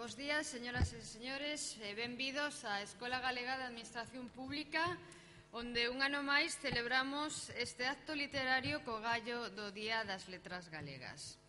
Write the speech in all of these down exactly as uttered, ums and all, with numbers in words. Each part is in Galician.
Bos días, señoras e señores, e benvidos á Escola Galega de Administración Pública, onde un ano máis celebramos este acto literario co gallo do Día das Letras Galegas.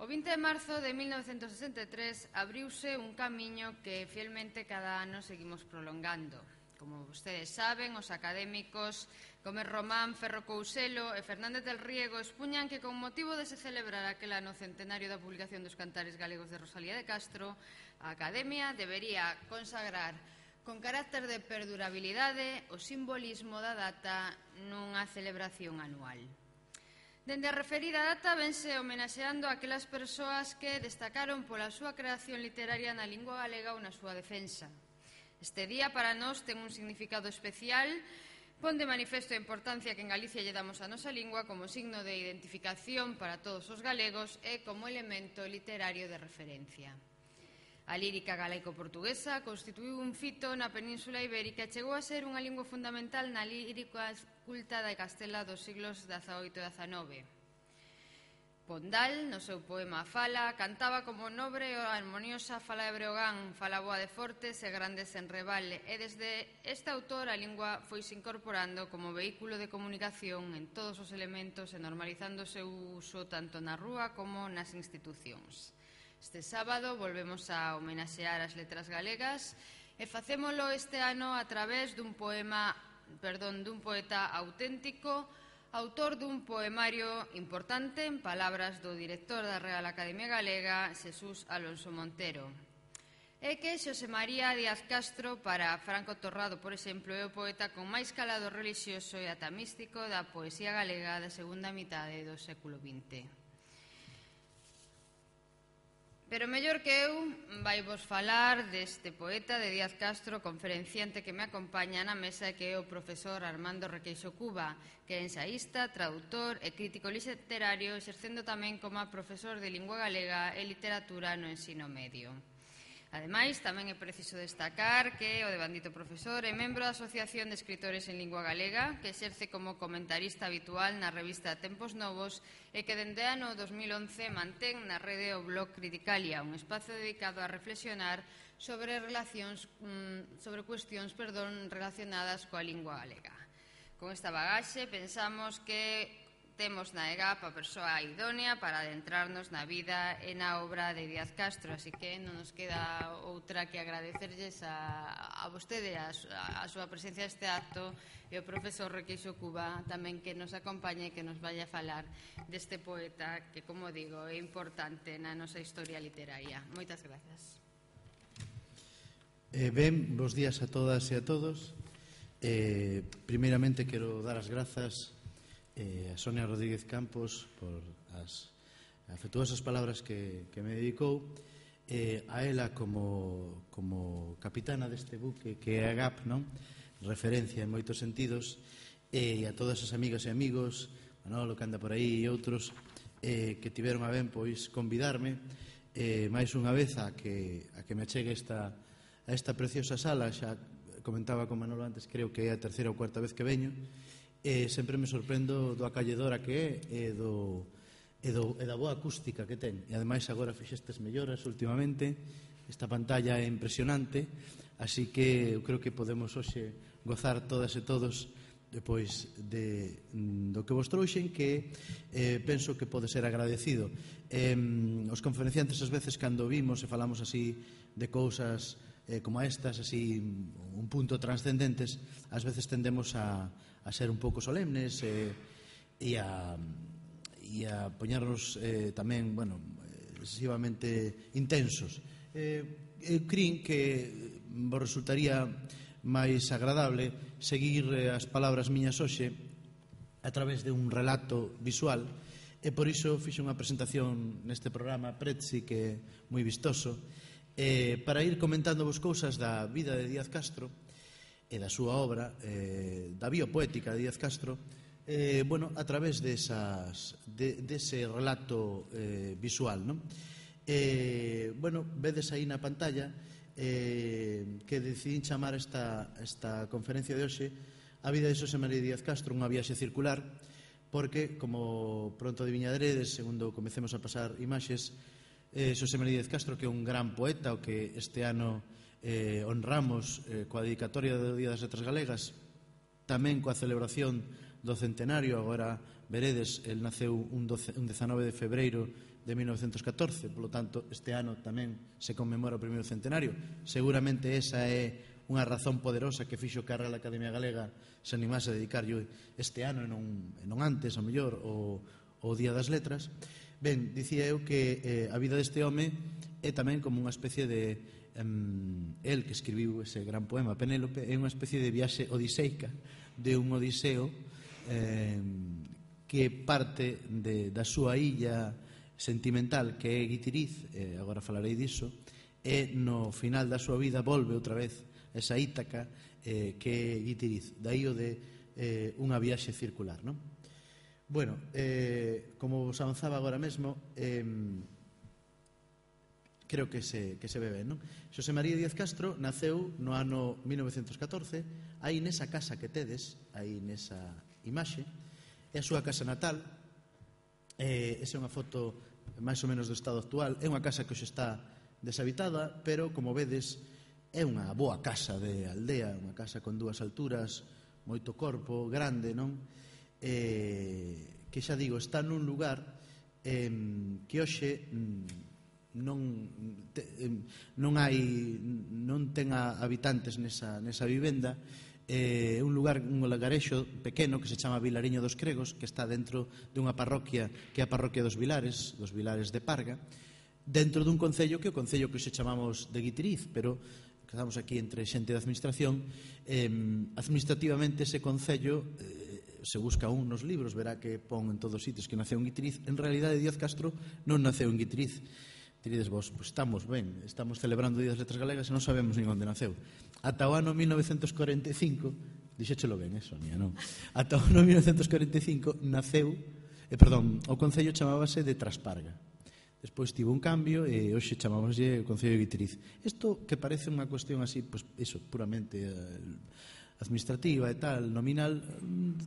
O vinte de marzo de mil novecentos sesenta e tres abriuse un camiño que fielmente cada ano seguimos prolongando. Como vostedes saben, os académicos Gómez Román, Ferro Couselo e Fernández del Riego expuñan que con motivo de se celebrar aquel ano centenario da publicación dos Cantares Galegos de Rosalía de Castro, a Academia debería consagrar con carácter de perdurabilidade o simbolismo da data nunha celebración anual. Dende a referida data vense homenaxeando a aquelas persoas que destacaron pola súa creación literaria na lingua galega ou na súa defensa. Este día para nós ten un significado especial, pon de manifesto a importancia que en Galicia lle damos a nosa lingua como signo de identificación para todos os galegos e como elemento literario de referencia. A lírica galaico-portuguesa constituíu un fito na Península Ibérica e chegou a ser unha lingua fundamental na lírica culta da Castela dos siglos dezaoito e dezanove. Pondal, no seu poema Fala, cantaba como nobre e harmoniosa fala de Breogán, fala boa de Fortes e grandes en Rebale, e desde este autor a lingua foise incorporando como vehículo de comunicación en todos os elementos e normalizando o seu uso tanto na rúa como nas institucións. Este sábado volvemos a homenaxear as letras galegas e facémolo este ano a través dun poema, perdón, dun poeta auténtico, autor dun poemario importante en palabras do director da Real Academia Galega, Xesús Alonso Montero. É que Xosé María Díaz Castro, para Franco Torrado, por exemplo, é o poeta con máis calado relixioso e ata místico da poesía galega da segunda mitade do século vinte. Pero mellor que eu, vai vos falar deste poeta de Díaz Castro, conferenciante que me acompaña na mesa, que é o profesor Armando Requeixo Cuba, que é ensaísta, tradutor e crítico literario, exercendo tamén como profesor de lingua galega e literatura no ensino medio. Ademais, tamén é preciso destacar que o devandito profesor é membro da Asociación de Escritores en Lingua Galega, que exerce como comentarista habitual na revista Tempos Novos e que dende ano dos mil once mantén na rede o blog Criticalia, un espazo dedicado a reflexionar sobre relacións sobre cuestións, perdón, relacionadas coa lingua galega. Con esta bagaxe pensamos que temos na E G A P a persoa idónea para adentrarnos na vida e na obra de Díaz Castro, así que non nos queda outra que agradecerlles a, a vostede a, a, a súa presencia neste acto e o profesor Requeixo Cuba tamén que nos acompañe e que nos vaya a falar deste poeta que, como digo, é importante na nosa historia literaria. Moitas grazas. Eh, ben, bons días a todas e a todos. Eh, primeiramente quero dar as grazas Eh, a Sonia Rodríguez Campos por as afectuosas palabras que, que me dedicou, eh, a ela como, como capitana deste buque que é a G A P, non? Referencia en moitos sentidos, e a todas as amigas e amigos, Manolo que anda por aí e outros, eh, que tiveron a ben pois convidarme eh, máis unha vez a que, a que me achegue esta, a esta preciosa sala. Xa comentaba con Manolo antes, creo que é a terceira ou cuarta vez que veño, e sempre me sorprendo do acolledora que é e, do, e, do, e da boa acústica que ten. E ademais agora fixestes melloras últimamente, esta pantalla é impresionante, así que eu creo que podemos hoxe gozar todas e todos depois de, do que vos trouxen, que eh, penso que pode ser agradecido. Eh, os conferenciantes ás veces cando vimos e falamos así de cousas eh, como estas, así un punto transcendentes, ás veces tendemos a, a ser un pouco solemnes e, e a e a poñernos eh, tamén, bueno, excesivamente intensos. Eh, eu crin que vos resultaría máis agradable seguir eh, as palabras miñas hoxe a través de un relato visual, e por iso fixe unha presentación neste programa Prezi que é moi vistoso, eh, para ir comentando vos cousas da vida de Díaz Castro e da súa obra, eh, da biopoética de Díaz Castro, eh, bueno, a través desas, de, dese relato eh, visual, non? Eh, bueno, vedes aí na pantalla eh, que decidín chamar esta, esta conferencia de hoxe A vida de Xosé María Díaz Castro, unha viaxe circular, porque, como pronto adiviñaderedes, segundo comecemos a pasar imaxes, eh, Xosé María Díaz Castro, que é un gran poeta, o que este ano eh, honramos eh, coa dedicatoria do Día das Letras Galegas, tamén coa celebración do centenario. Agora veredes, el naceu un, doce, un dezanove de febreiro de mil novecientos catorce, polo tanto, este ano tamén se conmemora o primeiro centenario. Seguramente esa é unha razón poderosa que fixo que a Real Academia Galega se animase a dedicarlle este ano e non, e non antes, ao mellor, o, o Día das Letras. Ben, dicía eu que eh, a vida deste home é tamén como unha especie de um, el que escribiu ese gran poema Penélope, é unha especie de viaxe odiseica de un odiseo eh, que parte de, da súa illa sentimental, que é Guitiriz, eh, agora falarei diso, e no final da súa vida volve outra vez esa Ítaca, eh, que é Guitiriz. Daí o de eh, unha viaxe circular, non? Bueno, eh, como vos avanzaba agora mesmo, eh, creo que se, que se ve ben, non? Xosé María Díaz Castro naceu no ano mil novecientos catorce, aí nesa casa que tedes, aí nesa imaxe, é a súa casa natal. Eh, esa é unha foto máis ou menos do estado actual. É unha casa que hoxe está deshabitada, pero, como vedes, é unha boa casa de aldea, unha casa con dúas alturas, moito corpo, grande, non? Eh, que xa digo, está nun lugar eh, que hoxe non, te, eh, non hai, non ten habitantes nesa, nesa vivenda. É eh, un lugar, un lagarexo pequeno que se chama Vilariño dos Cregos, que está dentro dunha parroquia que é a parroquia dos Vilares, dos Vilares de Parga, dentro dun concello que é o concello que se chamamos de Guitiriz, pero que estamos aquí entre xente de administración. Eh, administrativamente ese concello, eh, se busca un nos libros, verá que pon en todos os sitios que naceu en Guitiriz. En realidade Díaz Castro non naceu en Guitiriz. Diredes vos, pues estamos ben, estamos celebrando o Día das Letras Galegas e non sabemos nin onde naceu. Ata o ano mil novecientos corenta e cinco, dixéchelo ben, eh, Sonia, non? Ata o ano mil novecientos corenta e cinco naceu, eh, perdón, o concello chamábase de Trasparga. Despois tivo un cambio e hoxe chamámoslle o concello de Guitiriz. Isto que parece unha cuestión así, pues, eso, puramente eh, administrativa e tal, nominal,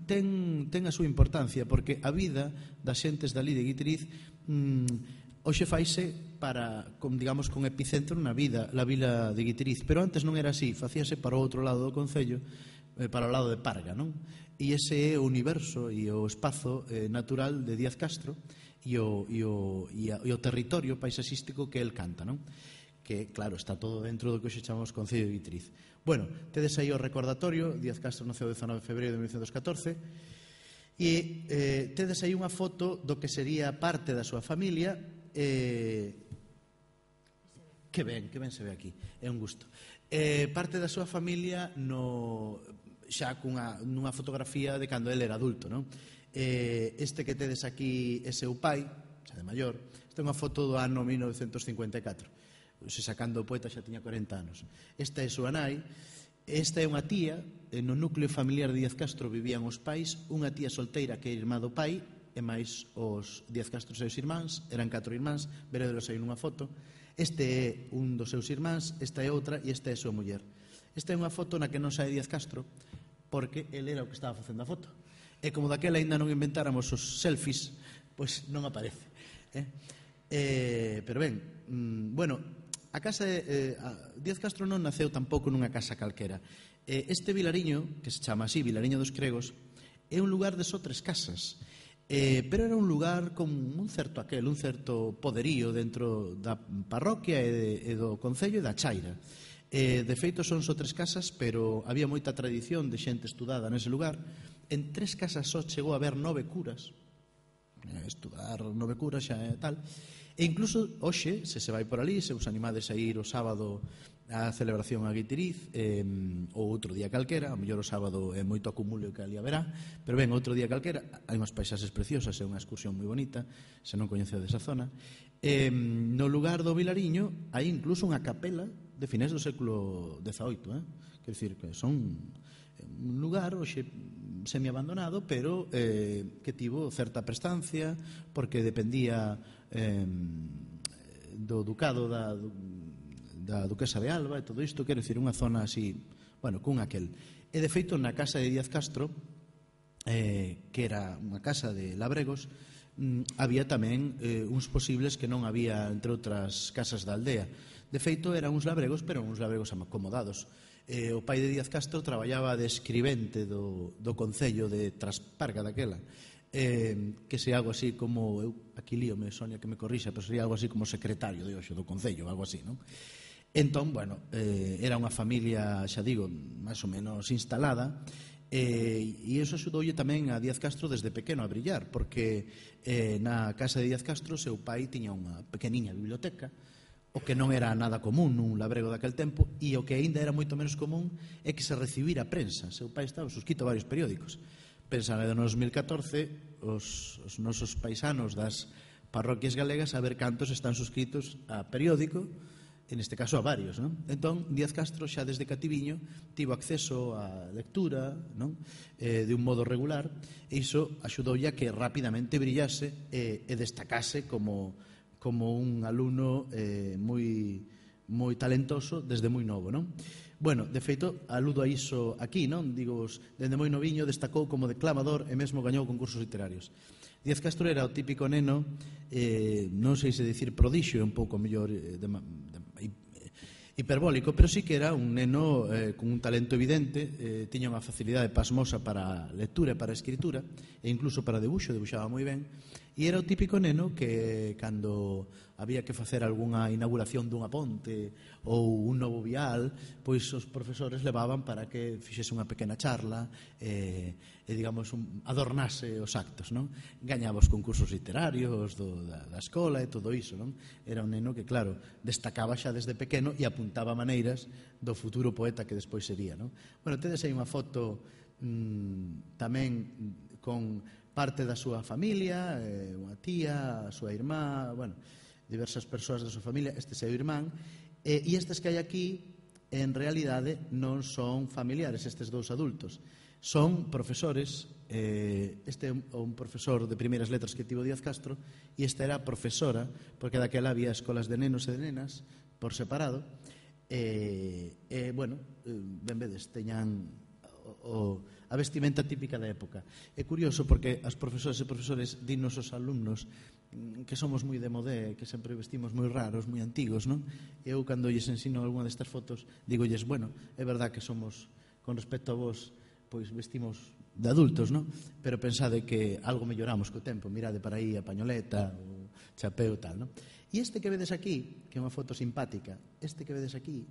ten, ten a súa importancia, porque a vida das xentes dali de Guitiriz mmm, hoxe faise para, con, digamos, con epicentro na vida, la vila de Guitiriz, pero antes non era así, facíase para o outro lado do concello, eh, para o lado de Parga, non? E ese é o universo e o espazo eh, natural de Díaz Castro e o, e, o, e, a, e o territorio paisaxístico que el canta, non? Que, claro, está todo dentro do que hoxe chamamos Concello de Guitiriz. Bueno, tedes aí o recordatorio. Díaz Castro naceu o dezanove de febreiro de mil novecientos catorce e eh, tedes aí unha foto do que sería parte da súa familia. Eh, que ben, que ben se ve aquí, é un gusto. Eh, parte da súa familia no, xa cunha, nunha fotografía de cando ele era adulto, non? Eh, este que tedes aquí é seu pai, xa de maior. Esta é unha foto do ano mil novecientos cincuenta e catro. Se sacando o poeta xa tiña corenta anos. Esta é súa nai. Esta é unha tía. No núcleo familiar de Díaz Castro vivían os pais, unha tía solteira que é irmá do pai e máis os Díaz Castro seus irmáns. Eran catro irmáns, veredelos aí nunha foto. Este é un dos seus irmáns, esta é outra e esta é a súa muller. Esta é unha foto na que non sae Díaz Castro porque ele era o que estaba facendo a foto. E como daquela ainda non inventáramos os selfies, pois non aparece. Eh? Eh, pero ben, mm, bueno, a casa de, eh, a Díaz Castro non naceu tampouco nunha casa calquera. Eh, este vilariño, que se chama así, Vilariño dos Cregos, é un lugar de só tres casas, eh, pero era un lugar con un certo aquel, un certo poderío dentro da parroquia e, de, e do concello e da chaira. Eh, de feito son só tres casas, pero había moita tradición de xente estudada nese lugar. En tres casas só chegou a haber nove curas. Eh, estudar nove curas xa é tal. E incluso hoxe, se se vai por ali, se os animades a ir o sábado a celebración a Guitiriz, eh, ou outro día calquera, ao mellor o sábado é moito acumulo que ali haberá, pero ben, outro día calquera, hai unhas paisaxes preciosas, é unha excursión moi bonita, se non coñecedes esa zona. Eh, no lugar do Vilariño hai incluso unha capela de finais do século dezaoito, eh? Quer dicir, que son un lugar hoxe semiabandonado, pero eh, que tivo certa prestancia, porque dependía eh, do ducado da, da duquesa de Alba e todo isto, quero dicir, unha zona así, bueno, cun aquel. E de feito, na casa de Díaz Castro, eh, que era unha casa de labregos, había tamén eh, uns posibles que non había entre outras casas da aldea. De feito, eran uns labregos, pero uns labregos acomodados. Eh, o pai de Díaz Castro traballaba de escribente do, do Concello de Trasparga daquela, eh, que se algo así como, eu aquí líome, Sonia que me corrixa, pero sería algo así como secretario de hoxe do Concello, algo así, non? Entón, bueno, eh, era unha familia, xa digo, máis ou menos instalada, Eh, e iso axudoulle tamén a Díaz Castro desde pequeno a brillar, porque eh, na casa de Díaz Castro seu pai tiña unha pequeniña biblioteca, o que non era nada común nun labrego daquel tempo, e o que aínda era moito menos común é que se recibira prensa. Seu pai estaba suscrito a varios periódicos. Pensa no dos mil catorce os, os nosos paisanos das parroquias galegas a ver cantos están suscritos a periódico, en este caso a varios, non? Entón, Díaz Castro xa desde cativiño tivo acceso á lectura, non? Eh, de un modo regular, e iso axudoulle a que rapidamente brillase e, e destacase como, como un alumno eh, moi, moi talentoso desde moi novo, non? Bueno, de feito, aludo a iso aquí, non? Digo, desde moi noviño destacou como declamador e mesmo gañou concursos literarios. Díaz Castro era o típico neno, eh, non sei se dicir prodixio, un pouco mellor de, de, hiperbólico, pero sí que era un neno eh, con un talento evidente, eh, tiña unha facilidade pasmosa para lectura e para escritura, e incluso para debuxo, debuxaba moi ben, e era o típico neno que cando había que facer algunha inauguración dunha ponte ou un novo vial, pois os profesores levaban para que fixese unha pequena charla e, e digamos, un, adornase os actos, non? Gañaba os concursos literarios do, da, da escola e todo iso, non? Era un neno que, claro, destacaba xa desde pequeno e apuntaba maneiras do futuro poeta que despois sería, non? Bueno, tedes aí unha foto mmm, tamén con parte da súa familia, eh, unha tía, a súa irmá, bueno, diversas persoas da súa familia, este seu irmán, eh, e estes que hai aquí, en realidade, non son familiares, estes dous adultos. Son profesores, eh, este é un profesor de primeiras letras que tivo Díaz Castro, e esta era profesora, porque daquela había escolas de nenos e de nenas, por separado, e, eh, eh, bueno, ben vedes, teñan o, a vestimenta típica da época. É curioso porque as profesoras e profesores dinos os alumnos que somos moi de modé, que sempre vestimos moi raros, moi antigos, non? Eu, cando lles ensino algunha destas fotos, digolles, bueno, é verdad que somos, con respecto a vos, pois vestimos de adultos, non? Pero pensade que algo melloramos co tempo, mirade para aí a pañoleta, o chapeo e tal, non? E este que vedes aquí, que é unha foto simpática, este que vedes aquí,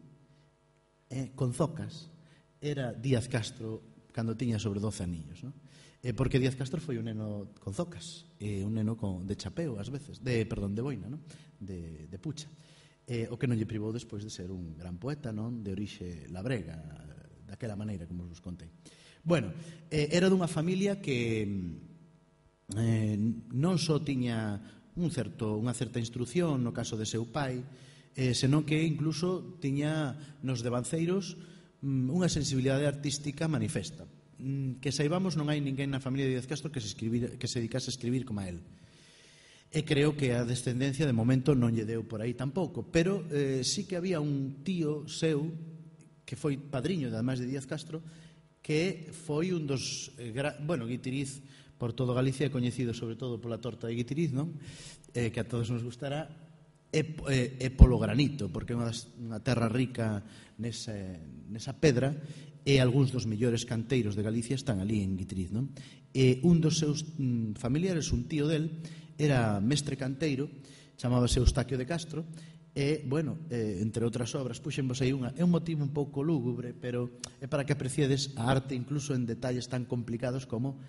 eh, con zocas, era Díaz Castro cando tiña sobre doce aniños, non? Eh, porque Díaz Castro foi un neno con zocas, eh, un neno con, de chapeo ás veces, de, perdón, de boina, non? De, de pucha, eh, o que non lle privou despois de ser un gran poeta, non? De orixe labrega, daquela maneira como vos contei. Bueno, eh, era dunha familia que eh, non só tiña un certo, unha certa instrucción no caso de seu pai, eh, senón que incluso tiña nos devanceiros unha sensibilidade artística manifesta. Que saibamos, non hai ninguén na familia de Díaz Castro que se, escribir, que se dedicase a escribir como a él. E creo que a descendencia de momento non lle deu por aí tampouco, pero eh, sí que había un tío seu que foi padriño, ademais de Díaz Castro, que foi un dos, eh, gra... bueno, Guitiriz por todo Galicia é coñecido sobre todo pola torta de Guitiriz, non? Eh, que a todos nos gustará, e, e, e polo granito, porque é unha, unha terra rica nesa, nesa pedra, e algúns dos mellores canteiros de Galicia están ali en Guitiriz, non? E un dos seus mm, familiares, un tío del, era mestre canteiro, chamábase Eustaquio de Castro, e, bueno, eh, entre outras obras, puxenvos aí unha, é un motivo un pouco lúgubre, pero é para que apreciedes a arte incluso en detalles tan complicados como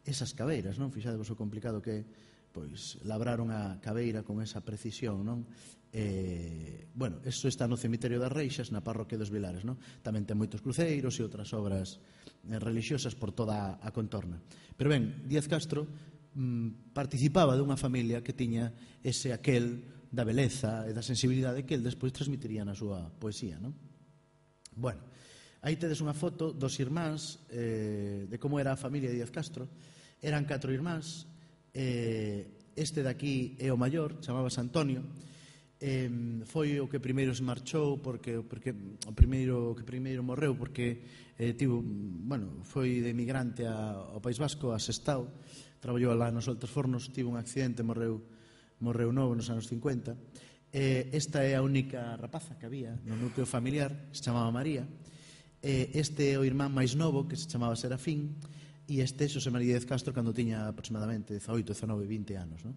esas cabeiras, non? Fixadevos o complicado que é, pois, labrar unha cabeira con esa precisión, non? Eh, bueno, eso está no cemiterio das Reixas, na parroquia dos Vilares, non? Tamén ten moitos cruceiros e outras obras eh, religiosas por toda a contorna. Pero ben, Díaz Castro mm, participaba dunha familia que tiña ese aquel da beleza e da sensibilidade que el despois transmitiría na súa poesía, non? Bueno, aí tedes unha foto dos irmáns eh, de como era a familia de Díaz Castro. Eran catro irmáns, eh, este de aquí é o maior, chamábase Antonio, eh, foi o que primeiro se marchou, porque, porque o primeiro que primeiro morreu, porque eh, tivo, bueno, foi de emigrante a, ao País Vasco, a Sestao, traballou lá nos Altos Fornos, tivo un accidente, morreu, morreu novo nos anos cincuenta. Eh, esta é a única rapaza que había no núcleo familiar, se chamaba María. Eh, este é o irmán máis novo, que se chamaba Serafín, e este é Xosé María Díaz Castro cando tiña aproximadamente dezaoito, dezanove, vinte anos, non?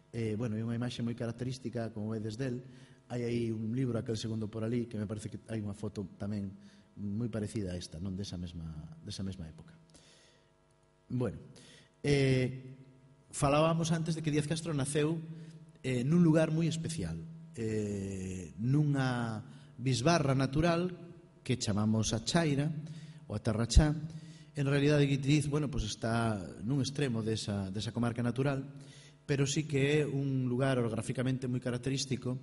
Eh, bueno, é unha imaxe moi característica, como vedes del. Hai aí un libro, aquel segundo por ali, que me parece que hai unha foto tamén moi parecida a esta, non desa mesma, desa mesma época. Bueno, eh, falábamos antes de que Díaz Castro naceu eh, nun lugar moi especial, eh, nunha bisbarra natural que chamamos a Chaira, ou a Terrachá. En realidade, Guitiriz, bueno, pues está nun extremo desa, desa comarca natural, pero sí que é un lugar orográficamente moi característico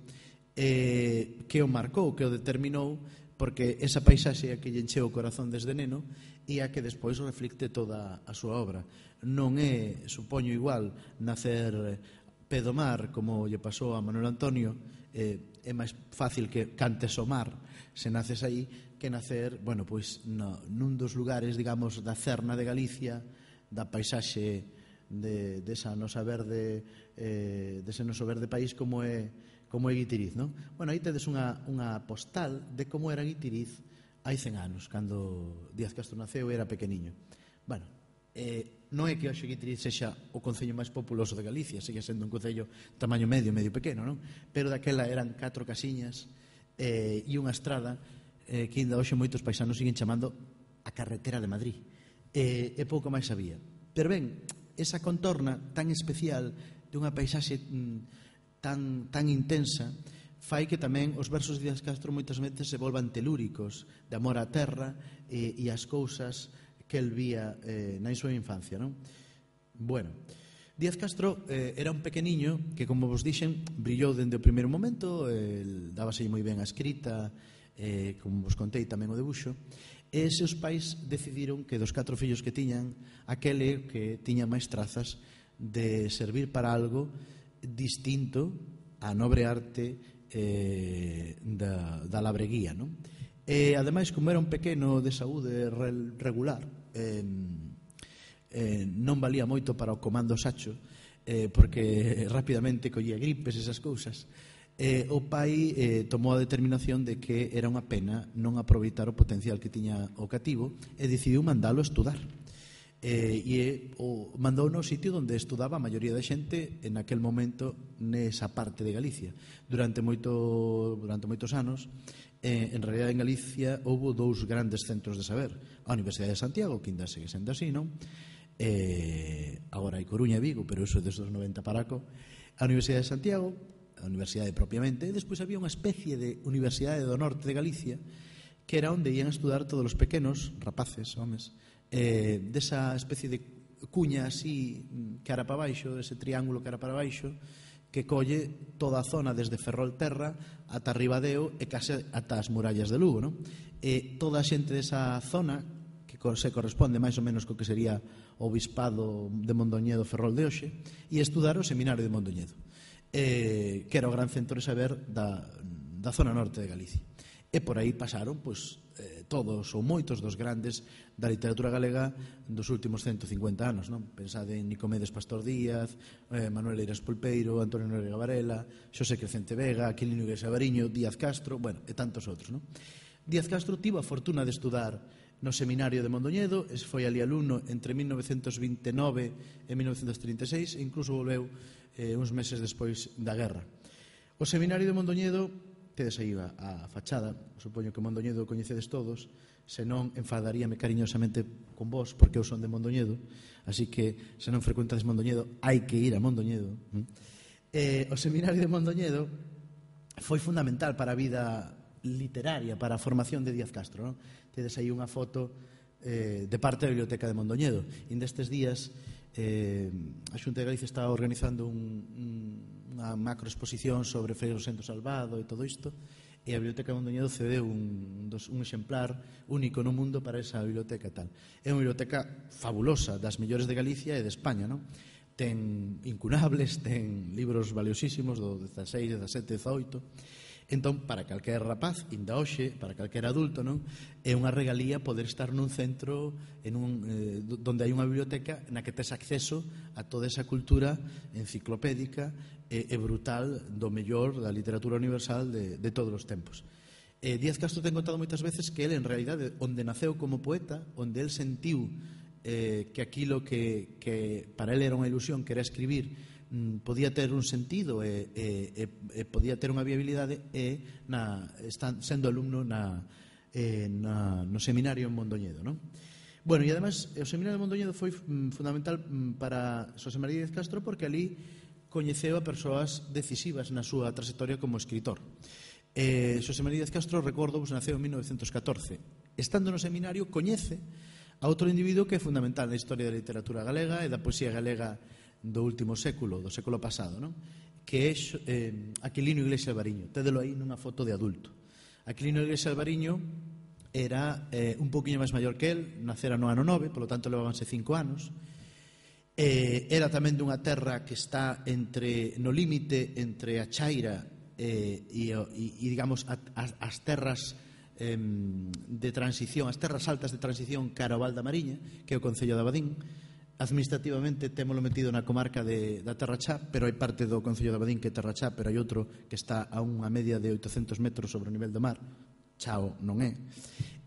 eh, que o marcou, que o determinou, porque esa paisaxe é a que lle encheu o corazón desde neno e a que despois reflicte toda a súa obra. Non é, supoño igual, nacer pedomar como lle pasou a Manuel Antonio, eh, é máis fácil que cantes o mar se naces aí que nacer, bueno, pois no, nun dos lugares, digamos, da cerna de Galicia, da paisaxe de, desa nosa verde, eh, dese noso verde país como é, como é Guitiriz, non? Bueno, aí tedes unha, unha postal de como era Guitiriz hai cen anos, cando Díaz Castro naceu e era pequeniño. Bueno, eh, non é que hoxe Guitiriz sexa o concello máis populoso de Galicia, sigue sendo un concello tamaño medio, medio pequeno, non? Pero daquela eran catro casiñas eh, e unha estrada eh, que ainda hoxe moitos paisanos siguen chamando a carretera de Madrid. Eh, e pouco máis había. Pero ben, esa contorna tan especial de unha paisaxe mm, tan, tan intensa fai que tamén os versos de Díaz Castro moitas veces se volvan telúricos, de amor á terra e, e as cousas que el vía eh, na súa infancia, non? Bueno, Díaz Castro eh, era un pequeniño que, como vos dixen, brillou dende o primeiro momento, eh, dábase moi ben a escrita, eh, como vos contei tamén o debuxo, e seus pais decidiron que dos catro fillos que tiñan, aquele que tiña máis trazas de servir para algo distinto á nobre arte eh, da, da labreguía, non? E, ademais, como era un pequeno de saúde regular, eh, eh, non valía moito para o comando Sacho, eh, porque rapidamente collía gripes, esas cousas. Eh, o pai eh, tomou a determinación de que era unha pena non aproveitar o potencial que tiña o cativo e decidiu mandalo a estudar. Eh, e o mandou no sitio onde estudaba a maioría da xente en aquel momento nesa parte de Galicia. Durante moito durante moitos anos, eh, en realidad en Galicia houve dous grandes centros de saber: a Universidade de Santiago, que ainda segue sendo así, non? Eh, agora hai Coruña e Vigo, pero iso desde os noventa para co. A Universidade de Santiago, a universidade propiamente, e despois había unha especie de Universidade do Norte de Galicia, que era onde ian a estudar todos os pequenos, rapaces, homes, eh, desa especie de cuña así, cara para baixo, ese triángulo cara para baixo, que colle toda a zona desde Ferrolterra ata Ribadeo e case ata as murallas de Lugo, non? E toda a xente desa zona, que se corresponde máis ou menos co que sería o Bispado de Mondoñedo, Ferrol de hoxe, e estudar o Seminario de Mondoñedo, eh, que era o gran centro de saber da, da zona norte de Galicia. E por aí pasaron pois, eh, todos ou moitos dos grandes da literatura galega dos últimos ciento cincuenta anos, non? Pensade en Nicomedes Pastor Díaz, eh, Manuel Eiras Pulpeiro, Antonio Noriega Varela, Xosé Crecente Vega, Aquilino Iglesias Avariño, Díaz Castro, bueno, e tantos outros, non? Díaz Castro tivo a fortuna de estudar no Seminario de Mondoñedo, foi ali alumno entre mil novecentos vinte e nove e mil novecentos trinta e seis, e incluso volveu eh, uns meses despois da guerra. O Seminario de Mondoñedo, tedes aí a, a fachada, supoño que Mondoñedo o coñecedes todos, senón enfadaríame cariñosamente con vos, porque eu son de Mondoñedo, así que se non frecuentades Mondoñedo, hai que ir a Mondoñedo. Eh, o Seminario de Mondoñedo foi fundamental para a vida literaria, para a formación de Díaz Castro, non? Tedes aí unha foto eh, de parte da Biblioteca de Mondoñedo. E nestes días eh, a Xunta de Galicia está organizando un, un, unha macroexposición sobre Frei Rosendo Salvado e todo isto, e a Biblioteca de Mondoñedo cedeu un, dos, un exemplar único no mundo para esa biblioteca tal. É unha biblioteca fabulosa, das mellores de Galicia e de España, non? ten incunables, ten libros valiosísimos do dezaseis, dezasete, dezaoito. Entón, para calquer rapaz, inda hoxe, para calquer adulto, non, é unha regalía poder estar nun centro en un, eh, donde hai unha biblioteca na que tes acceso a toda esa cultura enciclopédica e, e brutal do mellor da literatura universal de, de todos os tempos. Eh, Díaz Castro ten contado moitas veces que ele, en realidade, onde naceu como poeta, onde el sentiu eh, que aquilo que, que para ele era unha ilusión, que era escribir, podía ter un sentido e, e, e podía ter unha viabilidade e na, están, sendo alumno na, eh, na, no seminario en Mondoñedo, non? Bueno, e ademais o seminario de Mondoñedo foi fundamental para Xosé María Díaz Castro porque ali coñeceu a persoas decisivas na súa trayectoria como escritor. eh, Xosé María Díaz Castro, recordo, pues, naceu en mil novecientos catorce. Estando no seminario coñece a outro individuo que é fundamental na historia da literatura galega e da poesía galega do último século, do século pasado, non? Que é eh, Aquilino Iglesia Alvariño. Tédelo aí nunha foto de adulto. Aquilino Iglesia Alvariño era eh, un poquinho máis maior que el, nacera no ano nove, polo tanto levábanse cinco anos. Eh, era tamén dunha terra que está entre no límite entre a Chaira eh, e, e, e digamos, a, a, as terras eh, de transición, as terras altas de transición cara ao Val da Mariña, que é o concello de Abadín. Administrativamente témolo metido na comarca de, da Terra Chá, pero hai parte do concello de Abadín que é Terra Chá, pero hai outro que está a unha media de oitocentos metros sobre o nivel do mar. Chao non é.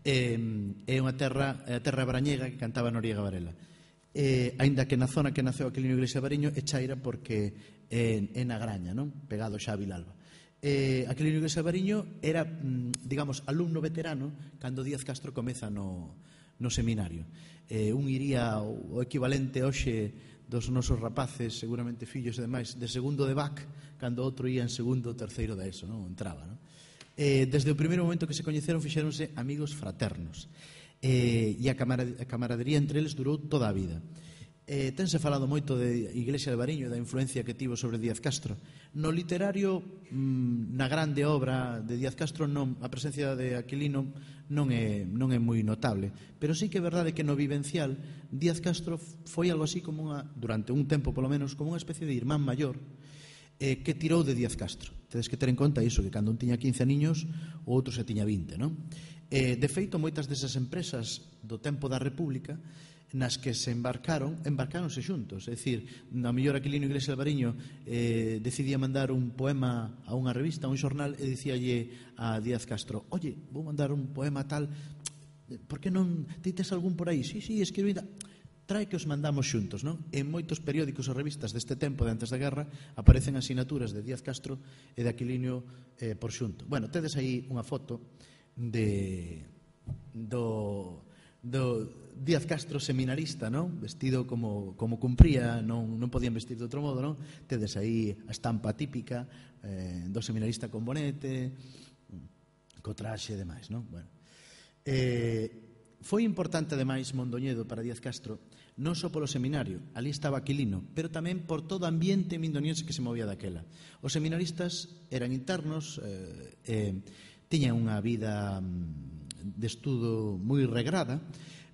É, é unha terra, é a terra brañega que cantaba Noriega Varela. É, aínda que na zona que naceu Aquilino Iglesia Variño é Chaira porque é, é na Graña, non? Pegado xa a Vilalba. Eh, Aquilino Iglesia Variño era, digamos, alumno veterano cando Díaz Castro comeza no, no seminario. Eh, un iría o equivalente hoxe dos nosos rapaces, seguramente fillos e demais, de segundo de B A C, cando outro ia en segundo ou terceiro da ESO, non? Entraba, non? Eh, desde o primeiro momento que se coñeceron fixéronse amigos fraternos. Eh, e a, camarad a camaradería entre eles durou toda a vida. Eh, tense falado moito de Iglesia Alvariño e da influencia que tivo sobre Díaz Castro. No literario, mmm, na grande obra de Díaz Castro, non, a presencia de Aquilino non é, non é moi notable, pero sí que é verdade que no vivencial Díaz Castro foi algo así como unha, durante un tempo polo menos, como unha especie de irmán maior eh, que tirou de Díaz Castro. Tedes que ter en conta iso, que cando un tiña quince aniños o outro se tiña vinte, non? Eh, de feito, moitas desas empresas do tempo da República nas que se embarcaron, embarcaronse xuntos. É dicir, na mellor Aquilino Iglesia Alvariño eh, decidía mandar un poema a unha revista, a un xornal, e dicíalle a Díaz Castro: oye, vou mandar un poema tal, por que non ti tes algún por aí? Sí, sí, escribí, trae que os mandamos xuntos, non? En moitos periódicos ou revistas deste tempo, de antes da guerra, aparecen asinaturas de Díaz Castro e de Aquilino eh, por xunto. Bueno, tedes aí unha foto de do do Díaz Castro seminarista, non? Vestido como, como cumpría, non, non podían vestir de outro modo, non? Tedes aí a estampa típica eh, do seminarista con bonete, co traxe e demais, non? Bueno. Eh, foi importante, ademais, Mondoñedo para Díaz Castro, non só polo seminario, ali estaba Aquilino, pero tamén por todo o ambiente mindoniense que se movía daquela. Os seminaristas eran internos, eh, eh, tiñan unha vida de estudo moi regrada,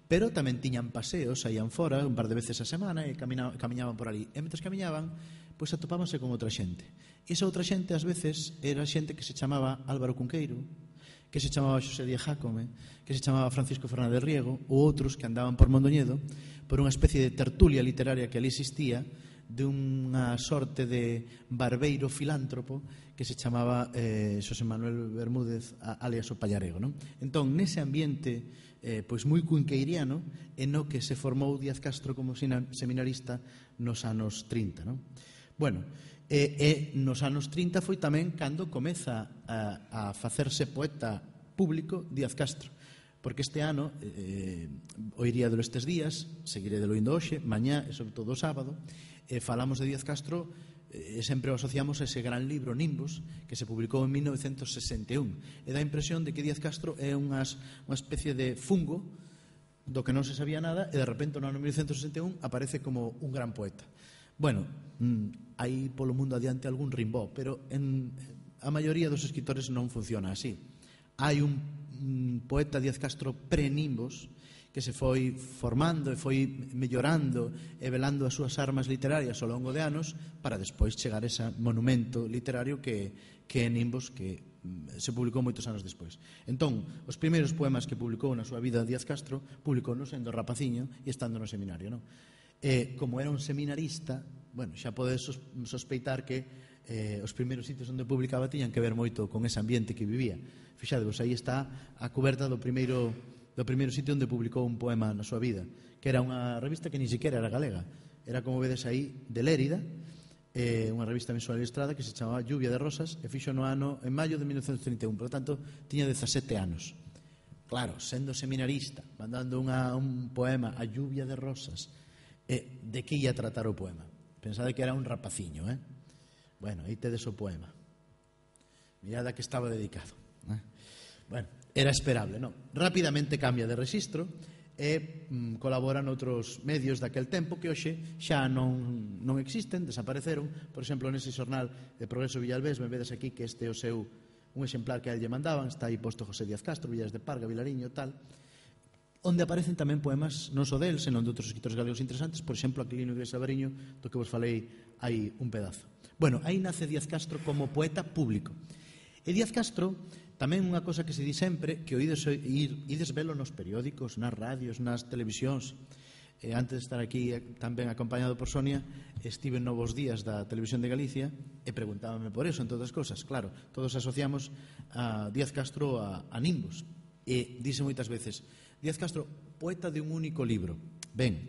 pero tamén tiñan paseos, saían fora un par de veces a semana e camiñaban por ali. E mentre camiñaban, pois atopábanse con outra xente. E esa outra xente, ás veces, era xente que se chamaba Álvaro Cunqueiro, que se chamaba Xosé Díaz Jácome, que se chamaba Francisco Fernández Riego, ou outros que andaban por Mondoñedo por unha especie de tertulia literaria que ali existía, de unha sorte de barbeiro filántropo que se chamaba eh, Xosé Manuel Bermúdez, alias o Pallarego, non? Entón, nese ambiente eh, pois moi cunqueiriano, en no que se formou Díaz Castro como seminarista nos anos trinta, non? Bueno, e, e nos anos trinta foi tamén cando comeza a, a facerse poeta público Díaz Castro, porque este ano eh, oiría de estes días, seguiré de lo indo hoxe, mañá e sobre todo o sábado, eh, falamos de Díaz Castro e eh, sempre o asociamos a ese gran libro Nimbos que se publicou en mil novecientos sesenta e un, e dá a impresión de que Díaz Castro é unhas, unha especie de fungo do que non se sabía nada e de repente no ano mil novecientos sesenta e un aparece como un gran poeta. Bueno, mm, hai polo mundo adiante algún Rimbaud, pero en a maioría dos escritores non funciona así. Hai un, un poeta Díaz Castro pre-Nimbos que se foi formando e foi mellorando e velando as súas armas literarias ao longo de anos para despois chegar a ese monumento literario que, que é Nimbos, que se publicou moitos anos despois. Entón, os primeiros poemas que publicou na súa vida Díaz Castro publicounos sendo rapaciño e estando no seminario, non? E, como era un seminarista, bueno, xa podes sospeitar que eh, os primeiros sitios onde publicaba tiñan que ver moito con ese ambiente que vivía. Fixadevos, aí está a cuberta do primeiro do primeiro sitio onde publicou un poema na súa vida, que era unha revista que ni siquiera era galega, era, como vedes aí, de Lérida, eh, unha revista mensual ilustrada que se chamaba Lluvia de Rosas, e fixo no ano en maio de mil novecentos trinta e un, por lo tanto, tiña dezasete anos. Claro, sendo seminarista, mandando unha, un poema a Lluvia de Rosas, eh, de que ia tratar o poema? Pensade que era un rapaciño, eh? Bueno, aí tedes o poema. Mirad a que estaba dedicado. Eh? Bueno, era esperable, non? Rapidamente cambia de rexistro e mm, colabora noutros medios daquel tempo que hoxe xa non, non existen, desapareceron. Por exemplo, nese xornal de Progreso Villalbés, me vedes aquí que este é o seu un exemplar que a él lle mandaban, está aí posto José Díaz Castro, Villares de Parga, Vilariño, tal, onde aparecen tamén poemas non só del, senón de outros escritores galegos interesantes, por exemplo, Aquilino Iglesias Albariño, do que vos falei hai un pedazo. Bueno, aí nace Díaz Castro como poeta público. E Díaz Castro, tamén unha cosa que se di sempre, que oídes, ir, ides velo nos periódicos, nas radios, nas televisións. Eh, antes de estar aquí tamén acompañado por Sonia, estive en Novos Días da Televisión de Galicia e preguntábame por eso, en todas as cosas. Claro, todos asociamos a Díaz Castro a, a Nimbos. E dice moitas veces, Díaz Castro, poeta de un único libro. Ben,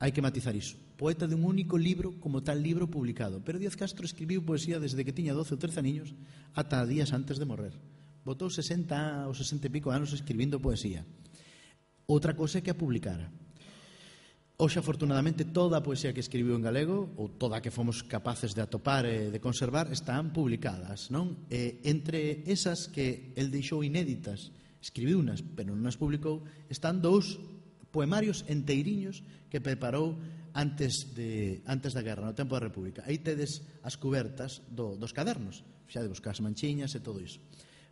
hai que matizar iso. Poeta de un único libro como tal libro publicado. Pero Díaz Castro escribiu poesía desde que tiña doce ou trece aniños ata días antes de morrer. Botou sesenta ou sesenta e pico anos escribindo poesía. Outra cosa é que a publicara. Hoxe, afortunadamente, toda a poesía que escribiu en galego, ou toda a que fomos capaces de atopar e de conservar, están publicadas, non? E entre esas que el deixou inéditas, escribiu unas, pero non as publicou, están dous poemarios enteiriños que preparou antes, de, antes da guerra, no tempo da República. Aí tedes as cubertas do, dos cadernos, xa de buscar as manchiñas e todo iso.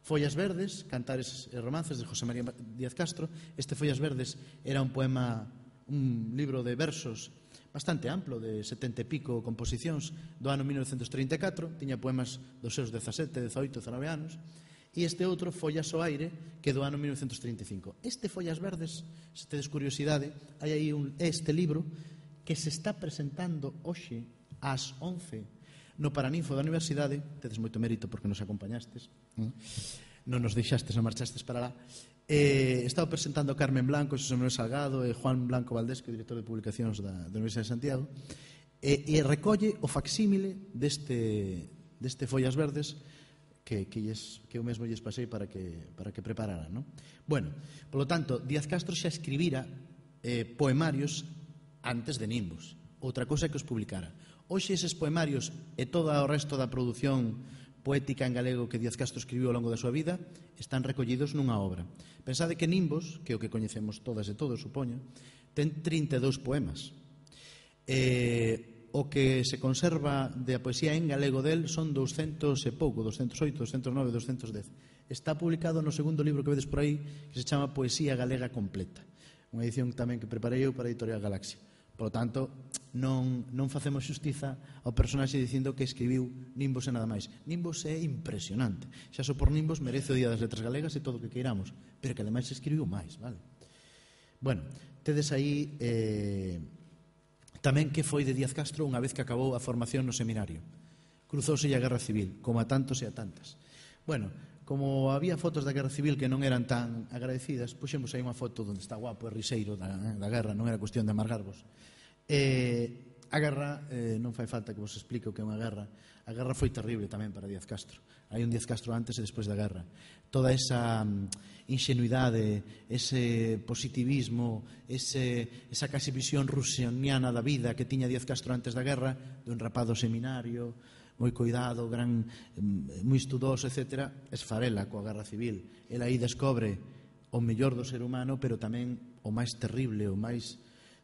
Follas Verdes, Cantares e Romances, de José María Díaz Castro. Este Follas Verdes era un poema, un libro de versos bastante amplo, de setenta e pico composicións, do ano mil novecentos trinta e catro, tiña poemas dos seus dezasete, dezaoito, dezanove anos, e este outro, Follas ao Aire, que é do ano mil novecentos trinta e cinco. Este Follas Verdes, se tedes curiosidade, hai aí un, este libro que se está presentando hoxe ás once no Paraninfo da Universidade. Tedes moito mérito porque nos acompañastes, non nos deixastes, non marchastes para lá. Eh, estaba presentando Carmen Blanco, Xosé Manuel Salgado e Juan Blanco Valdés, que é o director de publicacións da, da Universidade de Santiago, e, e recolle o facsímile deste, deste Follas Verdes que, que, lles, que eu mesmo lles pasei para que, para que prepararan, non? Bueno, polo tanto, Díaz Castro xa escribira eh, poemarios antes de Nimbos. Outra cosa é que os publicara. Hoxe eses poemarios e todo o resto da produción poética en galego que Díaz Castro escribiu ao longo da súa vida están recollidos nunha obra. Pensade que Nimbos, que é o que coñecemos todas e todos, supoño, ten trinta e dous poemas. E o que se conserva de a poesía en galego del son douscentos e pouco, douscentos e oito, douscentos e nove, douscentos e dez. Está publicado no segundo libro que vedes por aí, que se chama Poesía Galega Completa, unha edición tamén que preparei eu para a Editorial Galaxia. Por lo tanto, non, non facemos xustiza ao personaxe dicindo que escribiu Nimbos e nada máis. Nimbos é impresionante. Xa só por Nimbos merece o Día das Letras Galegas e todo o que queiramos, pero que ademais escribiu máis, vale? Bueno, tedes aí eh, tamén que foi de Díaz Castro unha vez que acabou a formación no seminario. Cruzouse a Guerra Civil, como a tantos e a tantas. Bueno, como había fotos da Guerra Civil que non eran tan agradecidas, puxemos aí unha foto onde está guapo e riseiro da, da guerra, non era cuestión de amargarvos. Eh, a guerra, eh, non fai falta que vos explique o que é unha guerra. A guerra foi terrible tamén para Díaz Castro. Hai un Díaz Castro antes e despois da guerra. Toda esa ingenuidade, ese positivismo, ese, esa casi visión rusianiana da vida que tiña Díaz Castro antes da guerra, dun rapado seminario, moi coidado, gran, moi estudoso, etcétera, esfarela coa Guerra Civil. Ela aí descobre o mellor do ser humano, pero tamén o máis terrible, o máis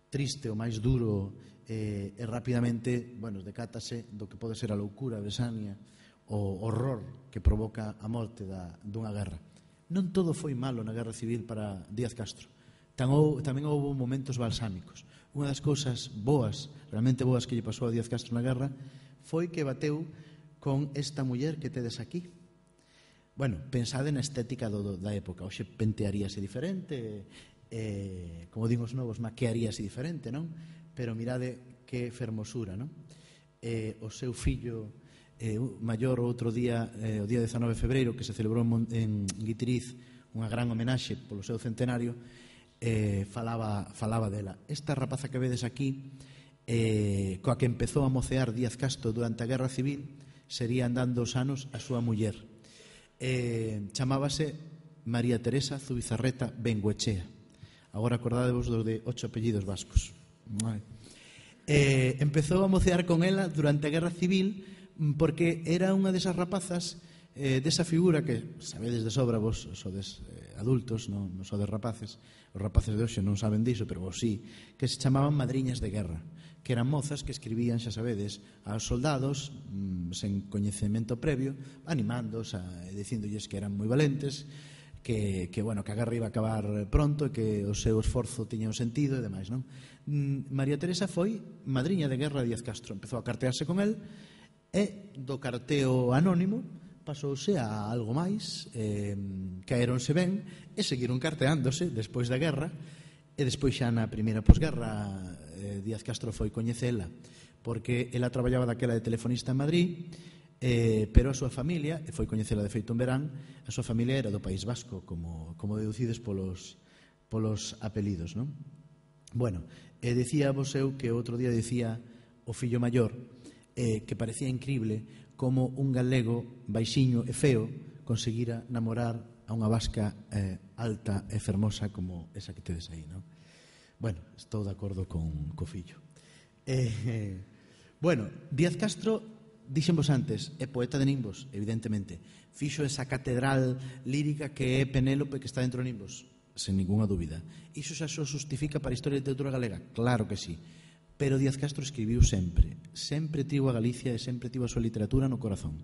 triste, o máis duro, e, e rapidamente, bueno, decátase do que pode ser a loucura, a besania, o horror que provoca a morte da, dunha guerra. Non todo foi malo na Guerra Civil para Díaz Castro, Tamén houve momentos balsámicos. Unha das cousas boas, realmente boas que lle pasou a Díaz Castro na guerra foi que bateu con esta muller que tedes aquí. Bueno, pensade na estética do, da época. Hoxe pentearíase diferente, eh, como din os novos, maquearíase diferente, non? Pero mirade que fermosura, non? Eh, o seu fillo eh, maior outro día, eh, o día dezanove de febreiro, que se celebrou en, en Guitiriz unha gran homenaxe polo seu centenario, eh, falaba, falaba dela. Esta rapaza que vedes aquí, eh, coa que empezou a mocear Díaz Castro durante a Guerra Civil, sería andando os anos a súa muller. Eh, chamábase María Teresa Zubizarreta Bengoechea. Agora acordádevos dos de ocho apellidos vascos. Eh, empezou a mocear con ela durante a Guerra Civil porque era unha desas rapazas, eh, desa figura que sabedes de sobra vos sodes eh, adultos, non, non sodes rapaces. Os rapaces de hoxe non saben diso, pero vos sí, que se chamaban madriñas de guerra, que eran mozas que escribían, xa sabedes, aos soldados mmm, sen coñecemento previo, animándos, a, dicindolles que eran moi valentes, que, que, bueno, que a guerra iba a acabar pronto e que o seu esforzo tiña un sentido e demais, non? Mm, María Teresa foi madriña de guerra de Díaz Castro, empezou a cartearse con el e do carteo anónimo pasouse a algo máis, eh, caeronse ben e seguiron carteándose despois da guerra. E despois xa na primeira posguerra eh, Díaz Castro foi coñecela porque ela traballaba daquela de telefonista en Madrid, eh, pero a súa familia, e foi coñecela de feito en verán, a súa familia era do País Vasco, como, como deducides polos, polos apelidos, non? Bueno, e dicía vos eu que outro día dicía o fillo maior eh, que parecía incrible como un galego baixiño e feo conseguira namorar a unha vasca eh, alta e fermosa como esa que tedes aí, non? Bueno, estou de acordo con co fillo. Eh, eh, bueno, Díaz Castro, dixenvos antes, é poeta de Nimbos, evidentemente. Fixo esa catedral lírica que é Penélope que está dentro de Nimbos, sen ninguna dúbida. Iso xa se justifica para a historia da literatura galega? Claro que sí. Pero Díaz Castro escribiu sempre. Sempre tivo a Galicia e sempre tivo a súa literatura no corazón.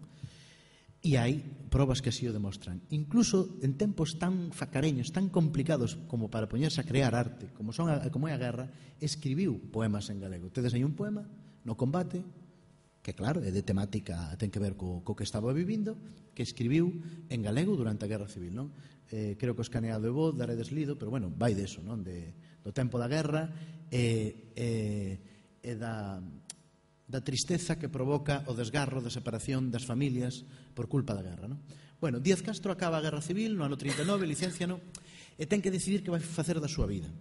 E hai probas que así o demostran. Incluso en tempos tan facareños, tan complicados como para poñerse a crear arte, como son a, como é a guerra, escribiu poemas en galego. Tedes aí un poema no combate, que claro, é de temática, ten que ver co, co que estaba vivindo, que escribiu en galego durante a Guerra Civil, non? Eh, creo que o escaneado é voz, daredes lido, pero bueno, vai deso, non? De, do tempo da guerra e, e, e da... da tristeza que provoca o desgarro da separación das familias por culpa da guerra, non? Bueno, Díaz Castro acaba a Guerra Civil no ano trinta e nove, licencia no, e ten que decidir que vai facer da súa vida.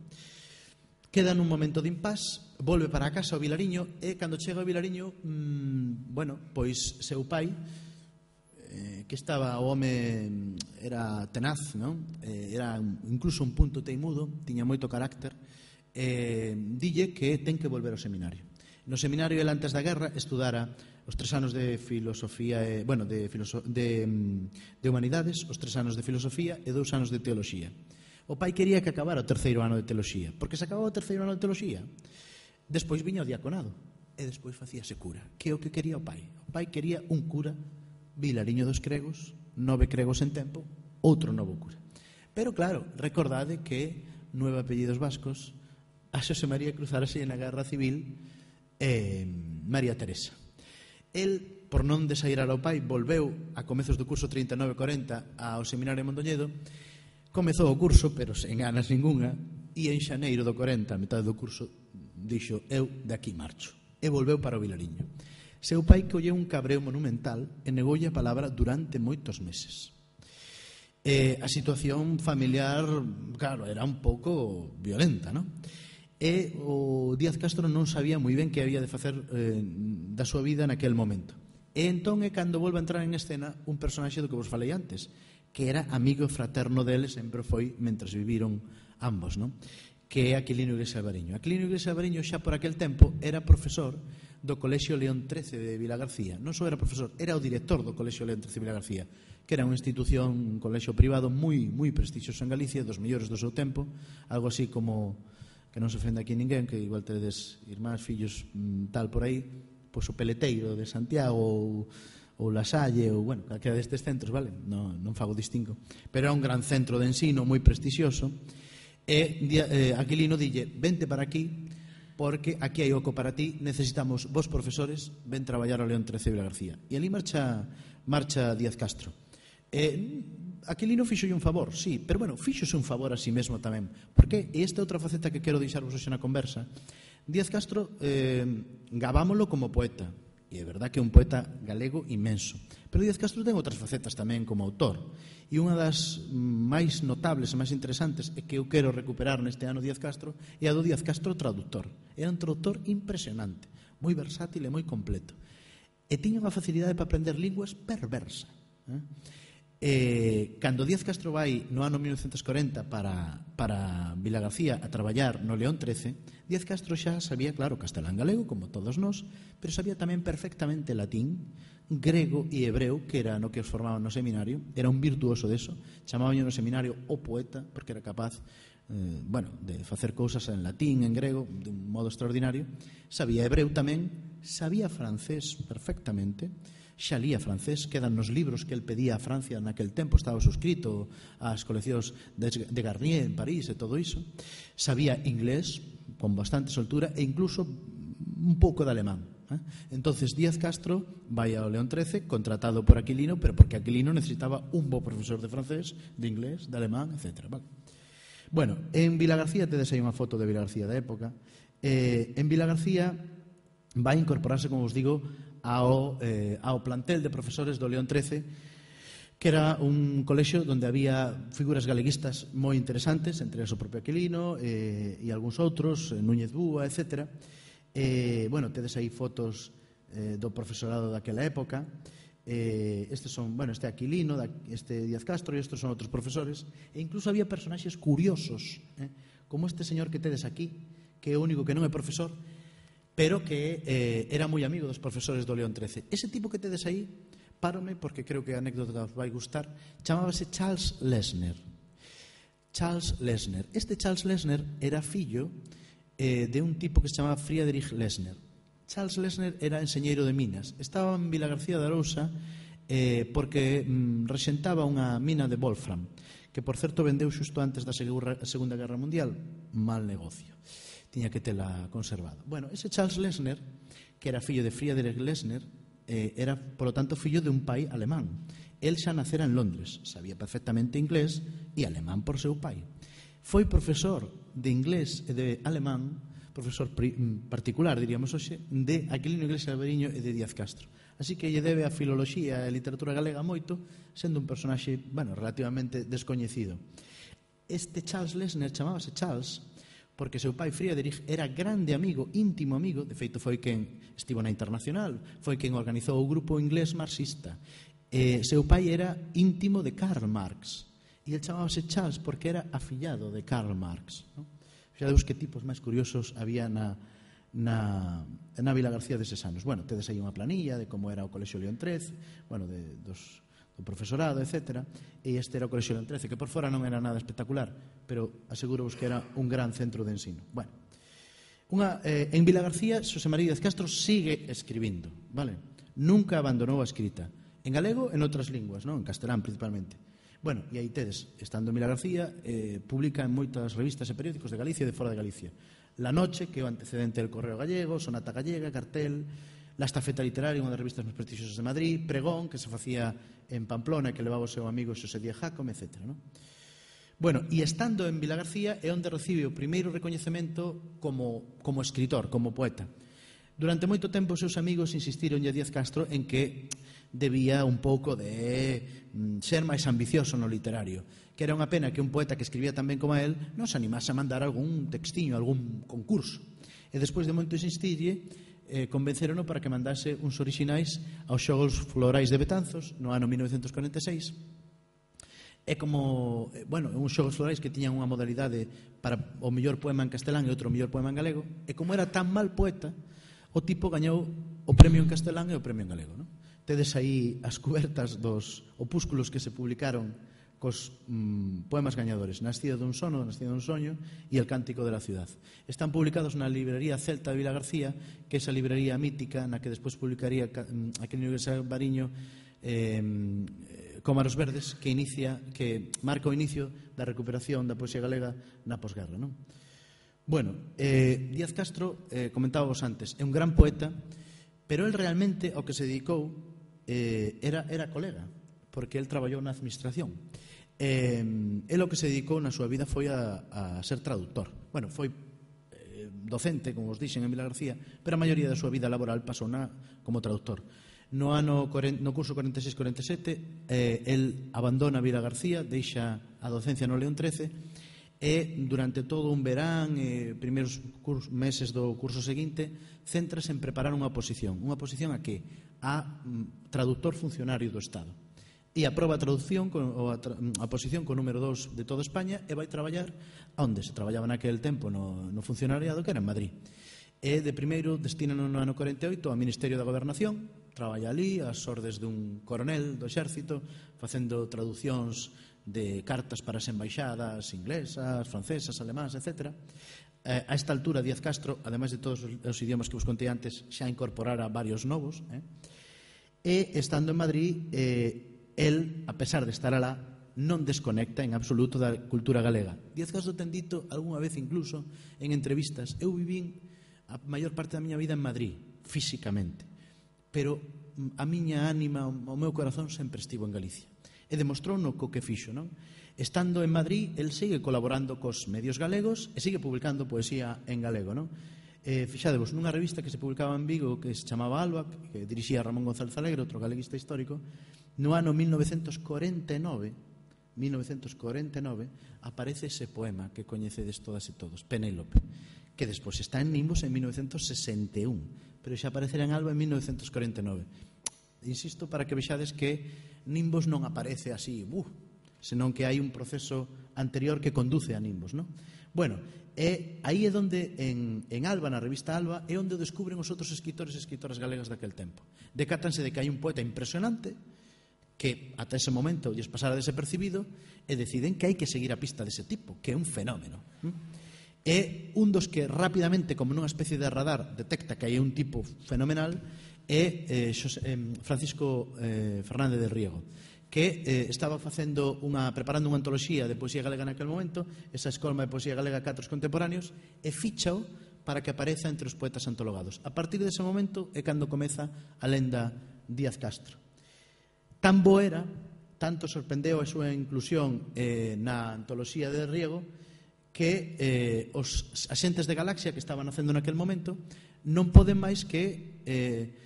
Queda nun momento de impás, volve para a casa ao Vilariño e cando chega ao Vilariño, mmm, bueno, pois seu pai, eh, que estaba o home, era tenaz, non? Eh, era incluso un punto teimudo, tiña moito carácter, eh, dille que ten que volver ao seminario. No seminario, el antes da guerra, estudara os tres anos de filosofía, e, bueno, de, filoso, de, de humanidades, os tres anos de filosofía e dous anos de teoloxía. O pai quería que acabara o terceiro ano de teoloxía, porque se acababa o terceiro ano de teoloxía, despois viña o diaconado, e despois facíase cura, que é o que quería o pai. O pai quería un cura, Vilariño dos Cregos, nove cregos en tempo, outro novo cura. Pero claro, recordade que nueve apellidos vascos, a Xosé María cruzarase na Guerra Civil eh, María Teresa. El, por non desairar ao pai, volveu a comezos do curso trinta e nove corenta ao seminario de Mondoñedo, comezou o curso, pero sen ganas ninguna, e en xaneiro do corenta, a metade do curso, dixo, eu de aquí marcho, e volveu para o Vilariño. Seu pai colleu un cabreo monumental e negoulle a palabra durante moitos meses. E a situación familiar, claro, era un pouco violenta, non? E o Díaz Castro non sabía moi ben que había de facer eh, da súa vida naquel momento. E entón é cando volve a entrar en escena un personaxe do que vos falei antes, que era amigo fraterno dele, sempre foi mentres viviron ambos, non? Que é Aquilino Iglesias Albariño. Aquilino Iglesias Albariño xa por aquel tempo era profesor do Colexio León trece de Vilagarcía. Non só era profesor, era o director do Colexio León trece de Vilagarcía, que era unha institución, un colexio privado moi moi prestixioso en Galicia, dos mellores do seu tempo, algo así como, que non se ofende aquí ninguén, que igual tedes irmáns, fillos, tal por aí, pois o Peleteiro de Santiago ou, ou La Salle, ou, bueno, calquera destes centros, vale? Non, non fago distingo. Pero é un gran centro de ensino, moi prestixioso. E eh, Aquilino dille, vente para aquí, porque aquí hai oco para ti, necesitamos vos profesores, ven traballar ao León trece de Vilagarcía. E ali marcha, marcha Díaz Castro. Eh, Aquilino fixolle un favor, sí, pero bueno, fixose un favor a si mesmo tamén. Porque, e esta é outra faceta que quero deixarvos hoxe na conversa, Díaz Castro eh, gabámolo como poeta, e é verdad que é un poeta galego inmenso, pero Díaz Castro ten outras facetas tamén como autor, e unha das máis notables e máis interesantes e que eu quero recuperar neste ano Díaz Castro é a do Díaz Castro traductor. Era un traductor impresionante, moi versátil e moi completo, e tiña unha facilidade para aprender linguas perversa. eh? Eh, cando Díaz Castro vai no ano mil novecentos corenta para, para Vilagarcía a traballar no León trece, Díaz Castro xa sabía, claro, castelán galego, como todos nós, pero sabía tamén perfectamente latín, grego e hebreo, que era no que os formaban no seminario. Era un virtuoso deso, chamaban no seminario o poeta, porque era capaz eh, bueno, de facer cousas en latín, en grego, de un modo extraordinario. Sabía hebreo tamén, sabía francés perfectamente, xa lía francés, quedan nos libros que el pedía a Francia naquel tempo, estaba suscrito ás coleccións de Garnier en París e todo iso. Sabía inglés con bastante soltura e incluso un pouco de alemán. ¿eh? Entonces Díaz Castro vai ao León trece contratado por Aquilino, pero porque Aquilino necesitaba un bo profesor de francés, de inglés, de alemán, etcétera. Vale. Bueno, en Vilagarcía tedes aí unha foto de Vilagarcía da época. Eh, en Vilagarcía vai incorporarse, como vos digo, Ao, eh, ao plantel de profesores do León trece, que era un colexio onde había figuras galeguistas moi interesantes, entre o propio Aquilino eh, e algúns outros, Núñez Búa, etcétera. Eh, bueno, tedes aí fotos eh, do profesorado daquela época. Eh, estes son, bueno, este Aquilino, este Díaz Castro, e estes son outros profesores. E incluso había personaxes curiosos, eh, como este señor que tedes aquí, que é o único que non é profesor, pero que eh, era moi amigo dos profesores do León trece. Ese tipo que tedes aí, párome porque creo que a anécdota os vai gustar, chamábase Charles Lessner. Charles Lessner. Este Charles Lessner era fillo eh, de un tipo que se chamaba Friedrich Lessner. Charles Lessner era enseñeiro de minas. Estaba en Vilagarcía de Arousa eh, porque mm, rexentaba unha mina de Wolfram, que por certo vendeu xusto antes da Segunda Guerra Mundial. Mal negocio. Tiña que tela conservada. Bueno, ese Charles Lessner, que era fillo de Friedrich Lessner, eh, era, polo tanto, fillo de un pai alemán. El xa nacera en Londres, sabía perfectamente inglés e alemán por seu pai. Foi profesor de inglés e de alemán, profesor particular, diríamos hoxe, de Aquilino Iglesias Alberiño e de Díaz Castro. Así que lle debe a filoloxía e a literatura galega moito, sendo un personaxe, bueno, relativamente descoñecido. Este Charles Lessner chamábase Charles porque seu pai Friedrich era grande amigo, íntimo amigo, de feito foi quen estivo na Internacional, foi quen organizou o grupo inglés marxista. Eh, seu pai era íntimo de Karl Marx, e el chamábase Charles porque era afillado de Karl Marx. ¿no? Xa deus que tipos máis curiosos había na, na, na Vilagarcía deses anos. Bueno, tedes aí unha planilla de como era o Colexio León trece, bueno, de, dos... do profesorado, etcétera, e este era o Colexio León trece, que por fora non era nada espectacular, pero aseguro-vos que era un gran centro de ensino. Bueno, unha, eh, en Vilagarcía, Xosé María Díaz Castro sigue escribindo, vale? Nunca abandonou a escrita, en galego e en outras linguas, non? En castelán principalmente. Bueno, e aí tedes, estando en Vilagarcía, eh, publica en moitas revistas e periódicos de Galicia e de fora de Galicia. La Noche, que é o antecedente del Correo Gallego, Sonata Gallega, Cartel, La Estafeta Literaria, unha das revistas máis prestixiosas de Madrid, Pregón, que se facía en Pamplona, que levaba o seu amigo Xosé Díaz Jácome, etcétera. ¿no? Bueno, e estando en Vilagarcía é onde recibe o primeiro recoñecemento como, como escritor, como poeta. Durante moito tempo os seus amigos insistiron a Díaz Castro en que debía un pouco de mm, ser máis ambicioso no literario, que era unha pena que un poeta que escribía tan ben como a él non se animase a mandar algún textiño, algún concurso. E despois de moito insistirlle, eh, convencerono para que mandase uns orixinais aos Xogos Florais de Betanzos no ano mil novecentos corenta e seis. É como, bueno, uns Xogos Florais que tiñan unha modalidade para o mellor poema en castelán e outro mellor poema en galego, e como era tan mal poeta, o tipo gañou o premio en castelán e o premio en galego. ¿no? Tedes aí as cubertas dos opúsculos que se publicaron cos mm, poemas gañadores, Nascido dun sono, Nascido dun soño e El cántico de la ciudad. Están publicados na librería Celta de Vilagarcía, que é esa librería mítica na que despois publicaría Aquilino Iglesias Alberiño eh, Cómaros Verdes, que inicia, que marca o inicio da recuperación da poesía galega na posguerra, non? Bueno, eh, Díaz Castro, eh, comentábamos antes, é un gran poeta, pero el realmente ao que se dedicou eh, era, era colega, porque el traballou na administración. Eh, el o que se dedicou na súa vida foi a, a ser traductor. Bueno, foi eh, docente, como os dixen, en Vila García, pero a maioría da súa vida laboral pasou na, como traductor. No ano no curso corenta e seis corenta e sete, eh, el abandona Vila García, deixa a docencia no León trece, e durante todo un verán e eh, primeiros meses do curso seguinte céntrase en preparar unha oposición. Unha oposición a que? A mm, traductor funcionario do Estado. E aproba a traducción ou a, tra a posición con número dos de toda España e vai traballar onde se traballaba naquele tempo no, no funcionariado, que era en Madrid. E de primeiro destina no ano corenta e oito ao Ministerio da Gobernación, traballa ali ás ordes dun coronel do exército, facendo traducións de cartas para as embaixadas inglesas, francesas, alemás, etcétera. Eh, a esta altura Díaz Castro, ademais de todos os idiomas que vos contei antes, xa incorporara varios novos, eh? E estando en Madrid, eh, el, a pesar de estar alá, non desconecta en absoluto da cultura galega. Díaz Castro ten dito algunha vez incluso en entrevistas: eu vivín a maior parte da miña vida en Madrid, físicamente, pero a miña ánima, o meu corazón sempre estivo en Galicia. E demostrou no co que fixo, non? Estando en Madrid, el sigue colaborando cos medios galegos e sigue publicando poesía en galego, non? Eh, fixadevos, nunha revista que se publicaba en Vigo que se chamaba Alba, que dirixía Ramón González Alegre, outro galeguista histórico, no ano mil novecentos corenta e nove aparece ese poema que coñecedes todas e todos, Penélope, que despois está en Nimbos en mil novecentos sesenta e un, pero xa aparecerá en Alba en mil novecentos corenta e nove. Insisto para que vexades que Nimbos non aparece así, uh, senón que hai un proceso anterior que conduce a Nimbos, non? Bueno, e aí é onde en, en Alba, na revista Alba, é onde descubren os outros escritores e escritoras galegas daquel tempo. Decátanse de que hai un poeta impresionante que ata ese momento lles pasara desapercibido e deciden que hai que seguir a pista dese tipo, que é un fenómeno. E un dos que rapidamente, como nunha especie de radar, detecta que hai un tipo fenomenal é eh, Francisco eh, Fernández del Riego, que eh, estaba facendo unha, preparando unha antoloxía de poesía galega naquele momento, esa escolma de poesía galega Catros Contemporáneos, e fichao para que apareza entre os poetas antologados. A partir dese momento é cando comeza a lenda Díaz Castro. Tan bo era, tanto sorprendeu a súa inclusión eh, na antoloxía de Riego, que eh, os axentes de Galaxia que estaban facendo naquele momento non poden máis que eh,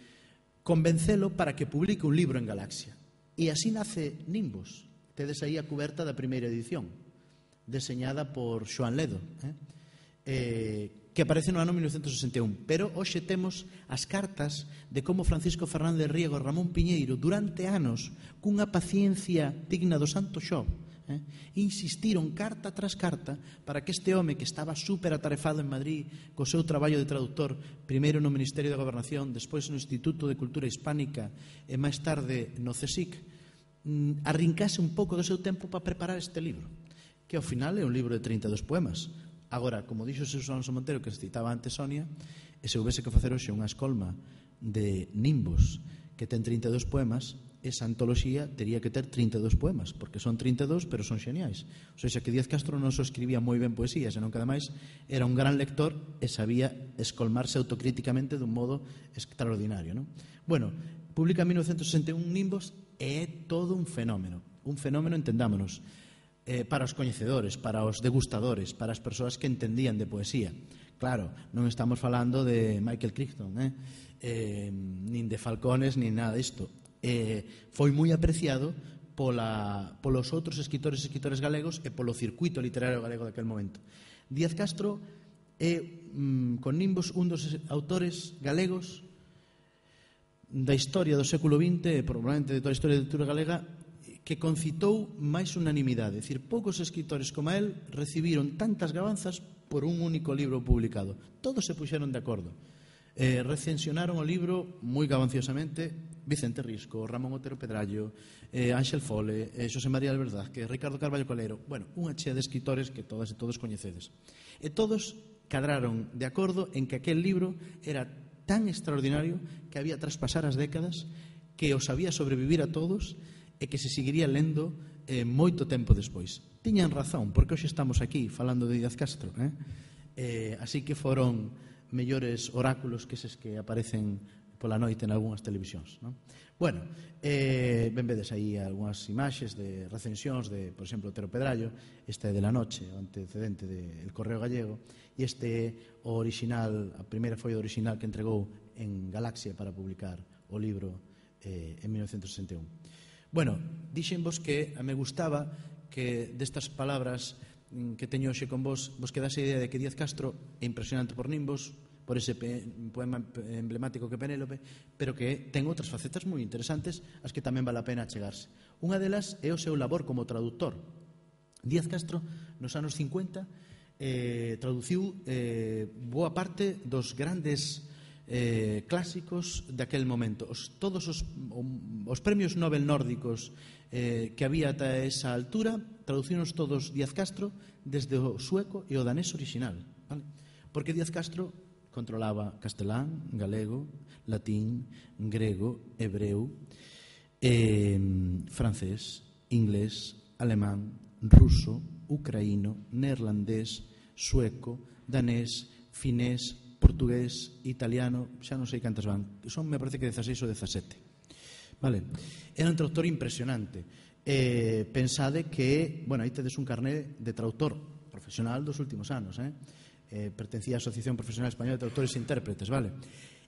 convencelo para que publique un libro en Galaxia. E así nace Nimbos. Tedes aí a cuberta da primeira edición, deseñada por Xoán Ledo, eh? Eh, que aparece no ano mil novecentos sesenta e un. Pero hoxe temos as cartas de como Francisco Fernández Riego e Ramón Piñeiro, durante anos, cunha paciencia digna do Santo Xob, eh, insistiron carta tras carta para que este home que estaba super atarefado en Madrid co seu traballo de traductor, primeiro no Ministerio de Gobernación, despois no Instituto de Cultura Hispánica e máis tarde no CSIC, mm, arrincase un pouco do seu tempo para preparar este libro, que ao final é un libro de trinta e dos poemas. Agora, como dixo Xesús Alonso Montero, que se citaba antes Sonia, e se houvese que facer hoxe unha escolma de Nimbos que ten trinta e dos poemas, esa antoloxía tería que ter trinta e dos poemas, porque son trinta e dos, pero son xeniais. O sea, que Díaz Castro non só escribía moi ben poesía, senón que ademais era un gran lector e sabía escolmarse autocríticamente dun modo extraordinario, non? Bueno, publica en mil novecentos sesenta e un Nimbos e é todo un fenómeno. Un fenómeno, entendámonos, eh, para os coñecedores, para os degustadores, para as persoas que entendían de poesía. Claro, non estamos falando de Michael Crichton, eh? Eh, nin de Falcones, nin nada disto. Eh, foi moi apreciado pola, polos outros escritores e escritores galegos e polo circuito literario galego daquel momento. Díaz Castro é, mm, con Nimbos, un dos autores galegos da historia do século vinte e probablemente de toda a historia da literatura galega que concitou máis unanimidade. É dicir, poucos escritores como el recibiron tantas gabanzas por un único libro publicado. Todos se puxeron de acordo. Eh, recensionaron o libro moi gabanciosamente Vicente Risco, Ramón Otero Pedrallo, eh, Ángel Fole, eh, Xosé María Alberdázquez, Ricardo Carballo Colero. Bueno, unha chea de escritores que todas e todos coñecedes. E todos cadraron de acordo en que aquel libro era tan extraordinario que había traspasar as décadas, que os había sobrevivir a todos e que se seguiría lendo eh, moito tempo despois. Tiñan razón, porque hoxe estamos aquí falando de Díaz Castro, eh? Eh, así que foron mellores oráculos que eses que aparecen pola noite en algunhas televisións, non? Bueno, eh, ben vedes aí algunhas imaxes de recensións de, por exemplo, Otero Pedrallo. Este é de La Noche, o antecedente del Correo Gallego, e este é o original, a primeira foi o original que entregou en Galaxia para publicar o libro eh, en mil novecientos sesenta e un. Bueno, dixenvos que me gustaba que destas palabras que teño hoxe con vos vos quedase a idea de que Díaz Castro é impresionante por Nimbos, por ese poema emblemático que Penélope, pero que ten outras facetas moi interesantes as que tamén vale a pena chegarse. Unha delas é o seu labor como traductor. Díaz Castro, nos anos cincuenta, eh, traduciu eh, boa parte dos grandes eh, clásicos daquel momento. Os, todos os, os premios Nobel nórdicos eh, que había ata esa altura, traducinos todos Díaz Castro desde o sueco e o danés original, vale? Porque Díaz Castro controlaba castelán, galego, latín, grego, hebreu, eh, francés, inglés, alemán, ruso, ucraíno, neerlandés, sueco, danés, finés, portugués, italiano, xa non sei cantas van, son, me parece que dezaseis ou dezasete. Vale. Era un traductor impresionante. Eh, pensade que, bueno, aí tedes un carné de traductor profesional dos últimos anos, eh? Eh, pertencía á Asociación Profesional Española de Traductores e Intérpretes, vale?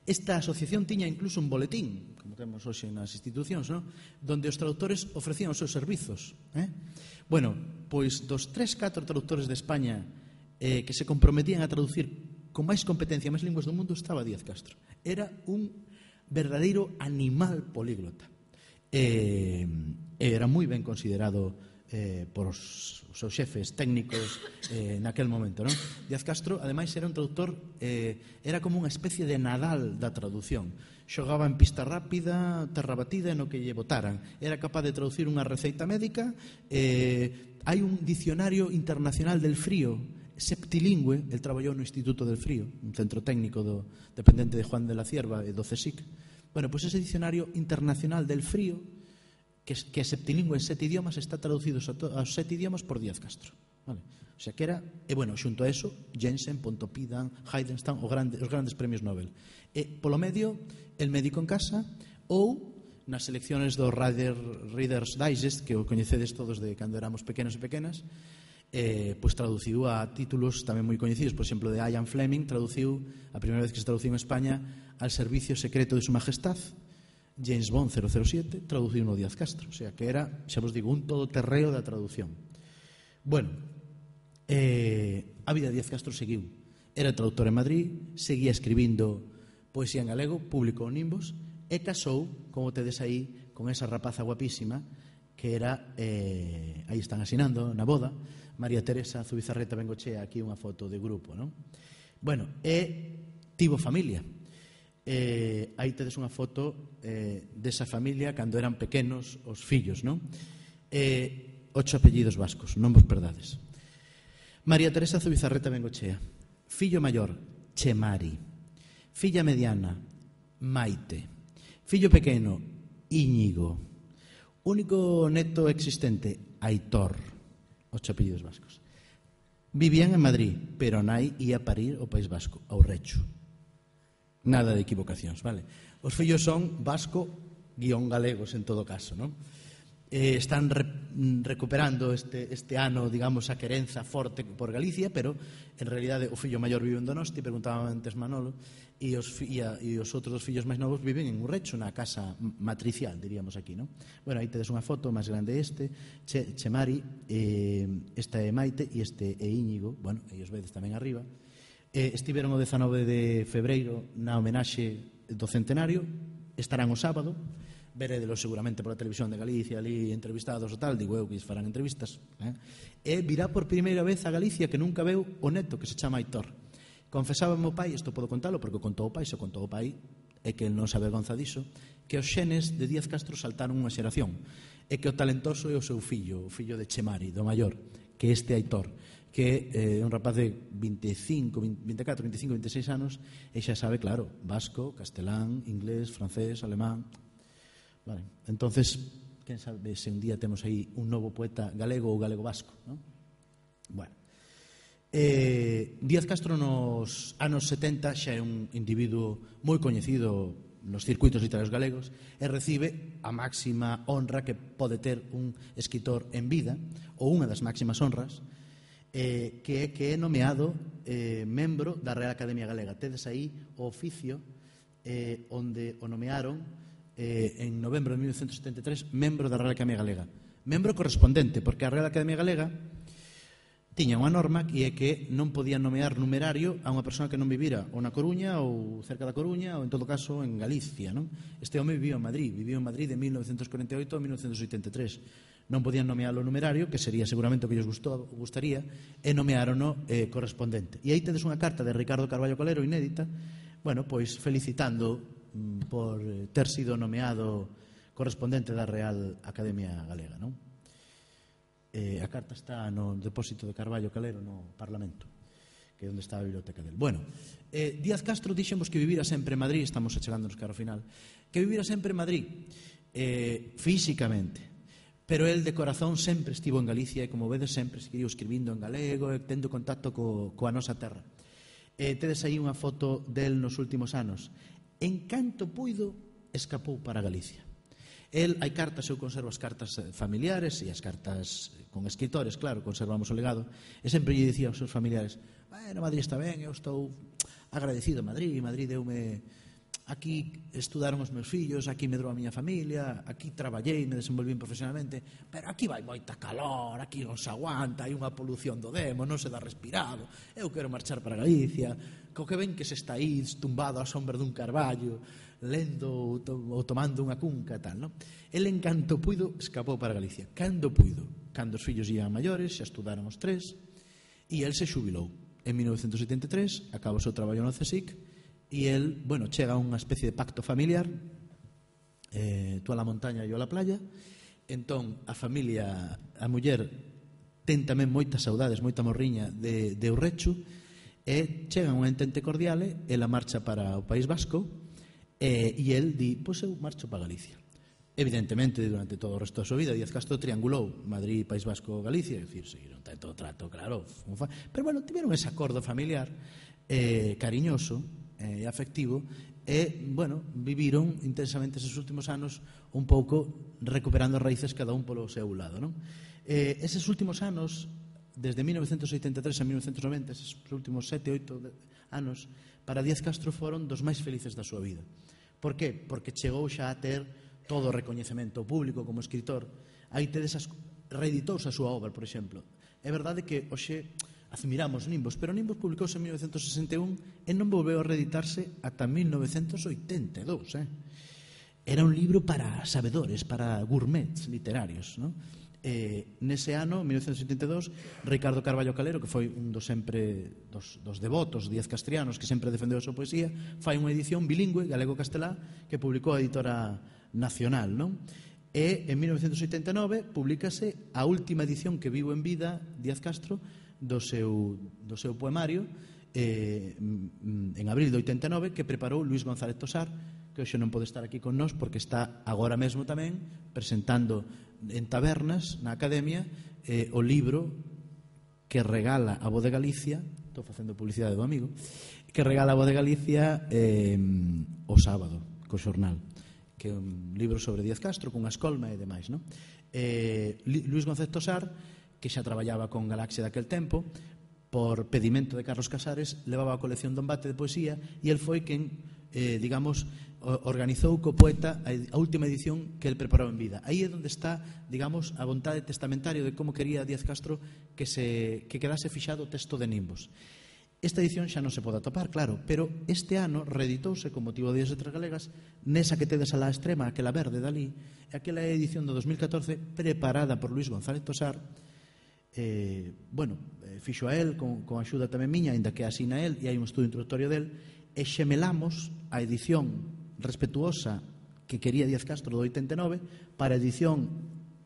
Esta asociación tiña incluso un boletín, como temos hoxe nas institucións, ¿no?, donde os traductores ofrecían os seus servizos, eh? Bueno, pois dos tres, catro traductores de España eh, que se comprometían a traducir con máis competencia, máis linguas do mundo, estaba Díaz Castro. Era un verdadeiro animal políglota. Eh, era moi ben considerado eh, por os, os seus xefes técnicos eh, naquel momento, non? Díaz Castro, ademais, era un traductor, eh, era como unha especie de Nadal da traducción. Xogaba en pista rápida, terra batida, no que lle botaran. Era capaz de traducir unha receita médica. Eh, hai un dicionario internacional del frío, septilingüe. El traballou no Instituto del Frío, un centro técnico do, dependente de Juan de la Cierva e do CSIC. Bueno, pois ese dicionario internacional del frío, que, que é septilingüe en sete idiomas, está traducido aos sete idiomas por Díaz Castro, vale? O sea que era, e bueno, xunto a eso, Jensen, Pontoppidan, Heidenstam, os grandes, os grandes premios Nobel. E polo medio, El médico en casa, ou nas selecciones do Reader, Reader's Digest, que o coñecedes todos de cando éramos pequenos e pequenas, eh, pois traduciu a títulos tamén moi coñecidos. Por exemplo, de Ian Fleming traduciu, a primeira vez que se traduciu en España, Al servicio secreto de su majestad. James Bond cero cero siete traduciu no Díaz Castro. O sea que era, xa vos digo, un todoterreo da traducción. Bueno, eh, a vida de Díaz Castro seguiu. Era traductor en Madrid, seguía escribindo poesía en galego, publicou Nimbos, e casou, como tedes aí, con esa rapaza guapísima que era, eh, aí están asinando na boda, María Teresa Zubizarreta Bengochea. Aquí unha foto de grupo, non? Bueno, e tivo familia. Eh, aí tedes unha foto eh, desa familia cando eran pequenos os fillos, non? Eh, ocho apellidos vascos, non vos perdades. María Teresa Zubizarreta Bengochea. Fillo maior, Chemari. Filla mediana, Maite. Fillo pequeno, Íñigo. Único neto existente, Aitor. Ocho apellidos vascos. Vivían en Madrid, pero nai ia parir ao País Vasco, ao Recho. Nada de equivocacións, vale? Os fillos son vasco guión galegos en todo caso, non? Eh, están re, recuperando este, este ano, digamos, a querenza forte por Galicia, pero en realidade o fillo maior vive en Donosti, preguntaba antes Manolo, e os, e, a, e os outros dos fillos máis novos viven en Urrecho, na casa matricial, diríamos aquí, non? Bueno, aí tedes unha foto máis grande este, che, Chemari, eh, esta é Maite e este é Íñigo, bueno, e os vedes tamén arriba. Eh, estiveron o dezanove de febreiro na homenaxe do centenario, estarán o sábado, veredelo seguramente pola televisión de Galicia ali entrevistados ou tal, digo eu que farán entrevistas, eh? E virá por primeira vez a Galicia que nunca veu o neto que se chama Aitor. Confesaba o meu pai, isto podo contalo porque o contou o pai, se o contou o pai é que non se avergonza diso, que os xenes de Díaz Castro saltaron unha xeración e que o talentoso é o seu fillo, o fillo de Chemari, do maior, que este Aitor, que é eh, un rapaz de veinticinco, veinticuatro, veinticinco, veintiséis anos e xa sabe, claro, vasco, castelán, inglés, francés, alemán. Vale. Entonces, quen sabe se un día temos aí un novo poeta galego ou galego-vasco, non? Bueno, eh, Díaz Castro nos anos setenta xa é un individuo moi coñecido nos circuitos literarios galegos e recibe a máxima honra que pode ter un escritor en vida, ou unha das máximas honras, eh, que é que é nomeado eh, membro da Real Academia Galega. Tedes aí o oficio eh, onde o nomearon eh, en novembro de mil novecentos setenta e tres membro da Real Academia Galega. Membro correspondente, porque a Real Academia Galega tiña unha norma que é que non podían nomear numerario a unha persoa que non vivira ou na Coruña ou cerca da Coruña ou en todo caso en Galicia, non? Este home viviu en Madrid, viviu en Madrid de mil novecentos corenta e oito a mil novecentos oitenta e tres. Non podían nomearlo numerario, que sería seguramente o que ellos gustou, gustaría, e nomearono eh, correspondente. E aí tedes unha carta de Ricardo Carballo Calero inédita, bueno, pois felicitando mm, por ter sido nomeado correspondente da Real Academia Galega, non? Eh, a carta está no depósito de Carballo Calero no Parlamento, que é onde está a biblioteca del. Bueno, eh, Díaz Castro dixemos que vivira sempre en Madrid, estamos achegándonos cara ao final, que vivira sempre en Madrid, eh, físicamente, pero el de corazón sempre estivo en Galicia e, como vedes, sempre seguiu escribindo en galego e tendo contacto co, coa nosa terra. Eh, tedes aí unha foto del nos últimos anos. En canto puido, escapou para Galicia. El, hai cartas, eu conservo as cartas familiares e as cartas con escritores, claro, conservamos o legado, e sempre lle dicía aos seus familiares: bueno, Madrid está ben, eu estou agradecido a Madrid, Madrid deume, aquí estudaron os meus fillos, aquí medrou a miña familia, aquí traballei, me desenvolvín profesionalmente, pero aquí vai moita calor, aquí non se aguanta, hai unha polución do demo, non se dá respirado, eu quero marchar para Galicia, co que ven que se está aí tumbado á sombra dun carballo, lendo ou tomando unha cunca e tal, non? El, en canto puido, escapou para Galicia. Cando puido? Cando os fillos iban maiores, xa estudaron os tres, e el se xubilou. En mil novecentos setenta e tres, acaba o seu traballo no CSIC, e el, bueno, chega a unha especie de pacto familiar, eh, tú a la montaña e eu a la playa. Entón, a familia, a muller, ten tamén moitas saudades, moita morriña de, de Urrechu, e chegan unha entente cordiale, ela marcha para o País Vasco, Eh, e el di, pois eu marcho para Galicia. Evidentemente, durante todo o resto da súa vida, Díaz Castro triangulou Madrid, País Vasco, Galicia, é dicir, seguiron tanto trato, claro, pero bueno, tiveron ese acordo familiar eh, cariñoso e eh, afectivo, e, bueno, viviron intensamente esos últimos anos un pouco recuperando as raíces cada un polo seu lado, non? Eh, eses últimos anos, desde mil novecentos oitenta e tres a mil novecentos noventa, esos últimos sete, oito anos, para Díaz Castro foron dos máis felices da súa vida. Por qué? Porque chegou xa a ter todo o recoñecemento público como escritor. Aí tedes as... reeditouse a súa obra, por exemplo. É verdade que hoxe admiramos Nimbos, pero Nimbos publicouse en mil novecentos sesenta e un e non volveu a reeditarse ata mil novecentos oitenta e dous. Eh? Era un libro para sabedores, para gourmets literarios, non? Eh, nese ano, mil novecentos oitenta e dous, Ricardo Carballo Calero, que foi un dos sempre dos, dos devotos Díaz Castrianos, que sempre defendeu a súa poesía, fai unha edición bilingüe galego-castelá que publicou a editora Nacional, non? E en mil novecentos oitenta e nove publicase a última edición que vivo en vida Díaz Castro do seu, do seu poemario eh, en abril de oitenta e nove, que preparou Luis González Tosar, que hoxe non pode estar aquí con nós porque está agora mesmo tamén presentando en tabernas na Academia eh, o libro que regala a Voz de Galicia, estou facendo publicidade do amigo, que regala a Voz de Galicia eh, o sábado co xornal, que é un libro sobre Díaz Castro con a escolma e demais, non? Eh, Luis González Tosar, que xa traballaba con Galaxia daquel tempo, por pedimento de Carlos Casares, levaba a colección do Embate de Poesía, e el foi quen, eh, digamos, organizou co poeta a última edición que el preparou en vida. Aí é onde está, digamos, a vontade testamentaria de como quería Díaz Castro que, se, que quedase fixado o texto de Nimbos. Esta edición xa non se pode atopar, claro, pero este ano reeditouse con motivo de Días Letras Galegas nesa que tedes a la extrema, aquela verde dali, aquela edición do dos mil catorce preparada por Luis González Tosar. Eh, bueno, eh, fixo a él con, con axuda tamén miña, ainda que asina él, e hai un estudo introductorio del, e xemelamos a edición respetuosa que quería Díaz Castro do oitenta e nove para a edición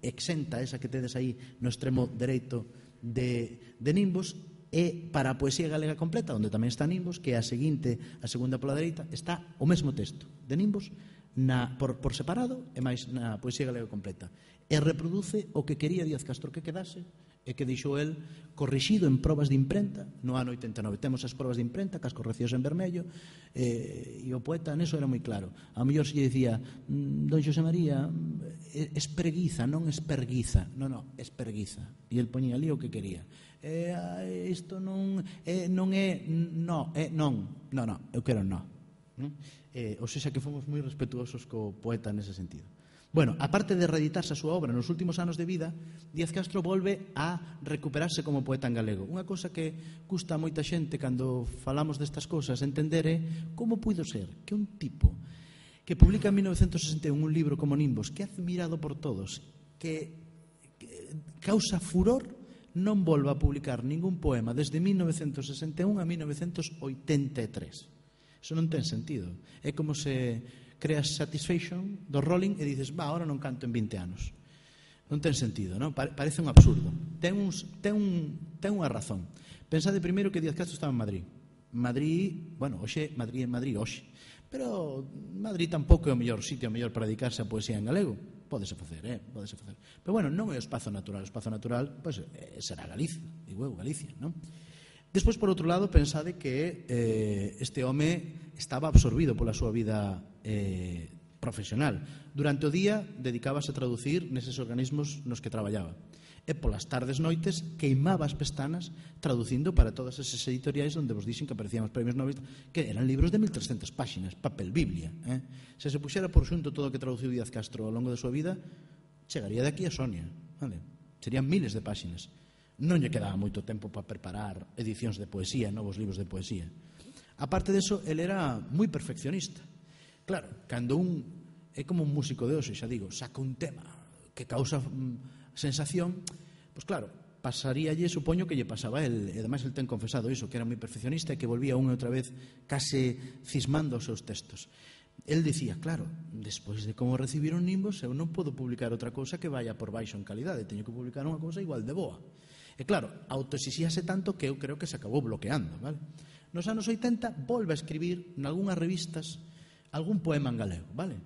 exenta, esa que tedes aí no extremo dereito de, de Nimbos, e para a poesía galega completa, onde tamén está Nimbos, que é a seguinte, a segunda pola dereita, está o mesmo texto de Nimbos na, por, por separado e máis na poesía galega completa. E reproduce o que quería Díaz Castro que quedase e que dixou el corrixido en probas de imprenta no ano oitenta e nove. Temos as probas de imprenta, cas correccións en vermello, eh, e o poeta neso era moi claro. A mellor se lle dicía, don Xosé María, esperguiza, non esperguiza, non, non, esperguiza. E el poñía ali o que quería. Eh, isto non, eh, non é, no, é non, non, non, eu quero non. Eh, ou seja que fomos moi respetuosos co poeta nese sentido. Bueno, aparte de reeditarse a súa obra nos últimos anos de vida, Díaz Castro volve a recuperarse como poeta en galego. Unha cousa que custa a moita xente cando falamos destas cousas entender é como puido ser que un tipo que publica en mil novecentos sesenta e un un libro como Nimbos, que é admirado por todos, que, que causa furor, non volva a publicar ningún poema desde mil novecentos sesenta e un a mil novecentos oitenta e tres. Eso non ten sentido. É como se creas Satisfaction do Rolling e dices, va, ahora non canto en vinte anos. Non ten sentido, non? Parece un absurdo. Ten, uns, ten, un, ten unha razón. Pensade primeiro que Díaz Castro estaba en Madrid. Madrid, bueno, hoxe, Madrid en Madrid, hoxe. Pero Madrid tampouco é o mellor sitio o mellor para dedicarse a poesía en galego. Pódese facer, eh? Pódese facer. Pero bueno, non é o espazo natural. O espazo natural, pois, pues, será Galicia. Digo, Galicia, non? Despois, por outro lado, pensade que eh, este home estaba absorbido pola súa vida eh, profesional. Durante o día dedicábase a traducir neses organismos nos que traballaba. E polas tardes noites queimaba as pestanas traducindo para todas esas editoriais onde vos dixen que aparecían os premios Nobel, que eran libros de mil trescentas páxinas, papel biblia. Eh? Se se puxera por xunto todo o que traduciu Díaz Castro ao longo da súa vida, chegaría de aquí a Sonia. Vale? Serían miles de páxinas. Non lle quedaba moito tempo para preparar edicións de poesía, novos libros de poesía. Aparte deso, ele era moi perfeccionista. Claro, cando un é como un músico de hoxe, xa digo, saca un tema que causa mm, sensación, pois claro, pasaríalle, supoño que lle pasaba a el, e ademais el ten confesado iso, que era moi perfeccionista e que volvía unha e outra vez case cismando os seus textos. El dicía, claro, despois de como recibiron Nimbos, eu non podo publicar outra cousa que vaya por baixo en calidade, teño que publicar unha cousa igual de boa. E claro, autoexixíase tanto que eu creo que se acabou bloqueando, vale? Nos anos oitenta volve a escribir nalgúnas revistas algún poema en galego, vale?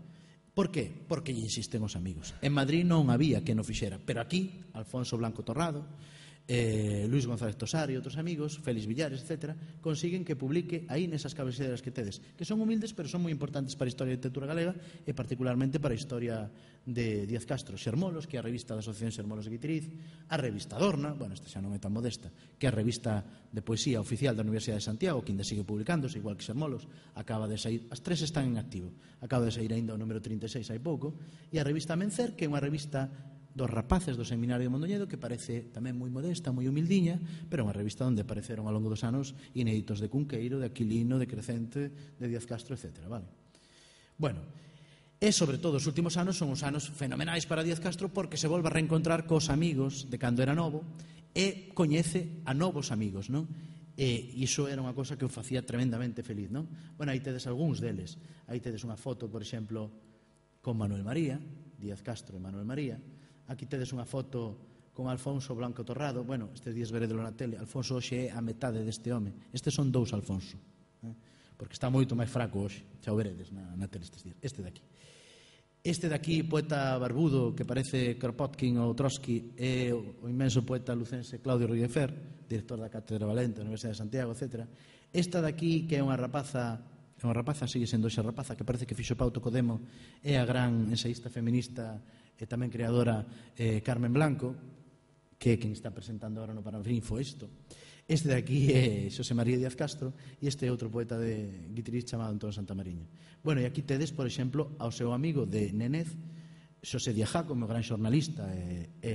Por qué? Porque lle insisten os amigos. En Madrid non había que non fixera, pero aquí, Alfonso Blanco Torrado, eh, Luis González Tosar e outros amigos, Félix Villares, etcétera, consiguen que publique aí nesas cabeceiras que tedes, que son humildes, pero son moi importantes para a historia da literatura galega e particularmente para a historia de Díaz Castro. Xermolos, que é a revista da Asociación Xermolos de Guitiriz, a revista Adorna, bueno, esta xa non é tan modesta, que é a revista de poesía oficial da Universidade de Santiago, que ainda sigue publicándose, igual que Xermolos, acaba de sair, as tres están en activo, acaba de sair ainda o número trinta e seis hai pouco, e a revista Amencer, que é unha revista dos rapaces do Seminario de Mondoñedo, que parece tamén moi modesta, moi humildiña, pero unha revista onde apareceron ao longo dos anos inéditos de Cunqueiro, de Aquilino, de Crecente, de Díaz Castro, etcétera. Vale? Bueno, e sobre todo os últimos anos son os anos fenomenais para Díaz Castro porque se volve a reencontrar cos amigos de cando era novo e coñece a novos amigos, non? E iso era unha cosa que o facía tremendamente feliz, non? Bueno, aí tedes algúns deles. Aí tedes unha foto, por exemplo, con Manuel María, Díaz Castro e Manuel María. Aquí tedes unha foto con Alfonso Blanco Torrado. Bueno, estes días veredelo na tele. Alfonso hoxe é a metade deste home. Estes son dous Alfonso, eh? Porque está moito máis fraco hoxe. Xa o veredes na, na tele estes días. Este daqui. Este daqui, poeta barbudo, que parece Kropotkin ou Trotsky, é o inmenso poeta lucense Claudio Ruiz-Fer, director da Cátedra Valente da Universidade de Santiago, etcétera. Esta daqui, que é unha rapaza, é unha rapaza, sigue sendo xa rapaza, que parece que fixo pauto co demo, é a gran ensaísta feminista e tamén creadora eh, Carmen Blanco, que é quen está presentando ahora no Paraninfo isto. Este de aquí é Xosé María Díaz Castro e este é outro poeta de guitarrís chamado Antón Santamariña. Bueno, e aquí tedes, por exemplo, ao seu amigo de Nenez, Xosé Díaz Jaco, meu gran xornalista e, e,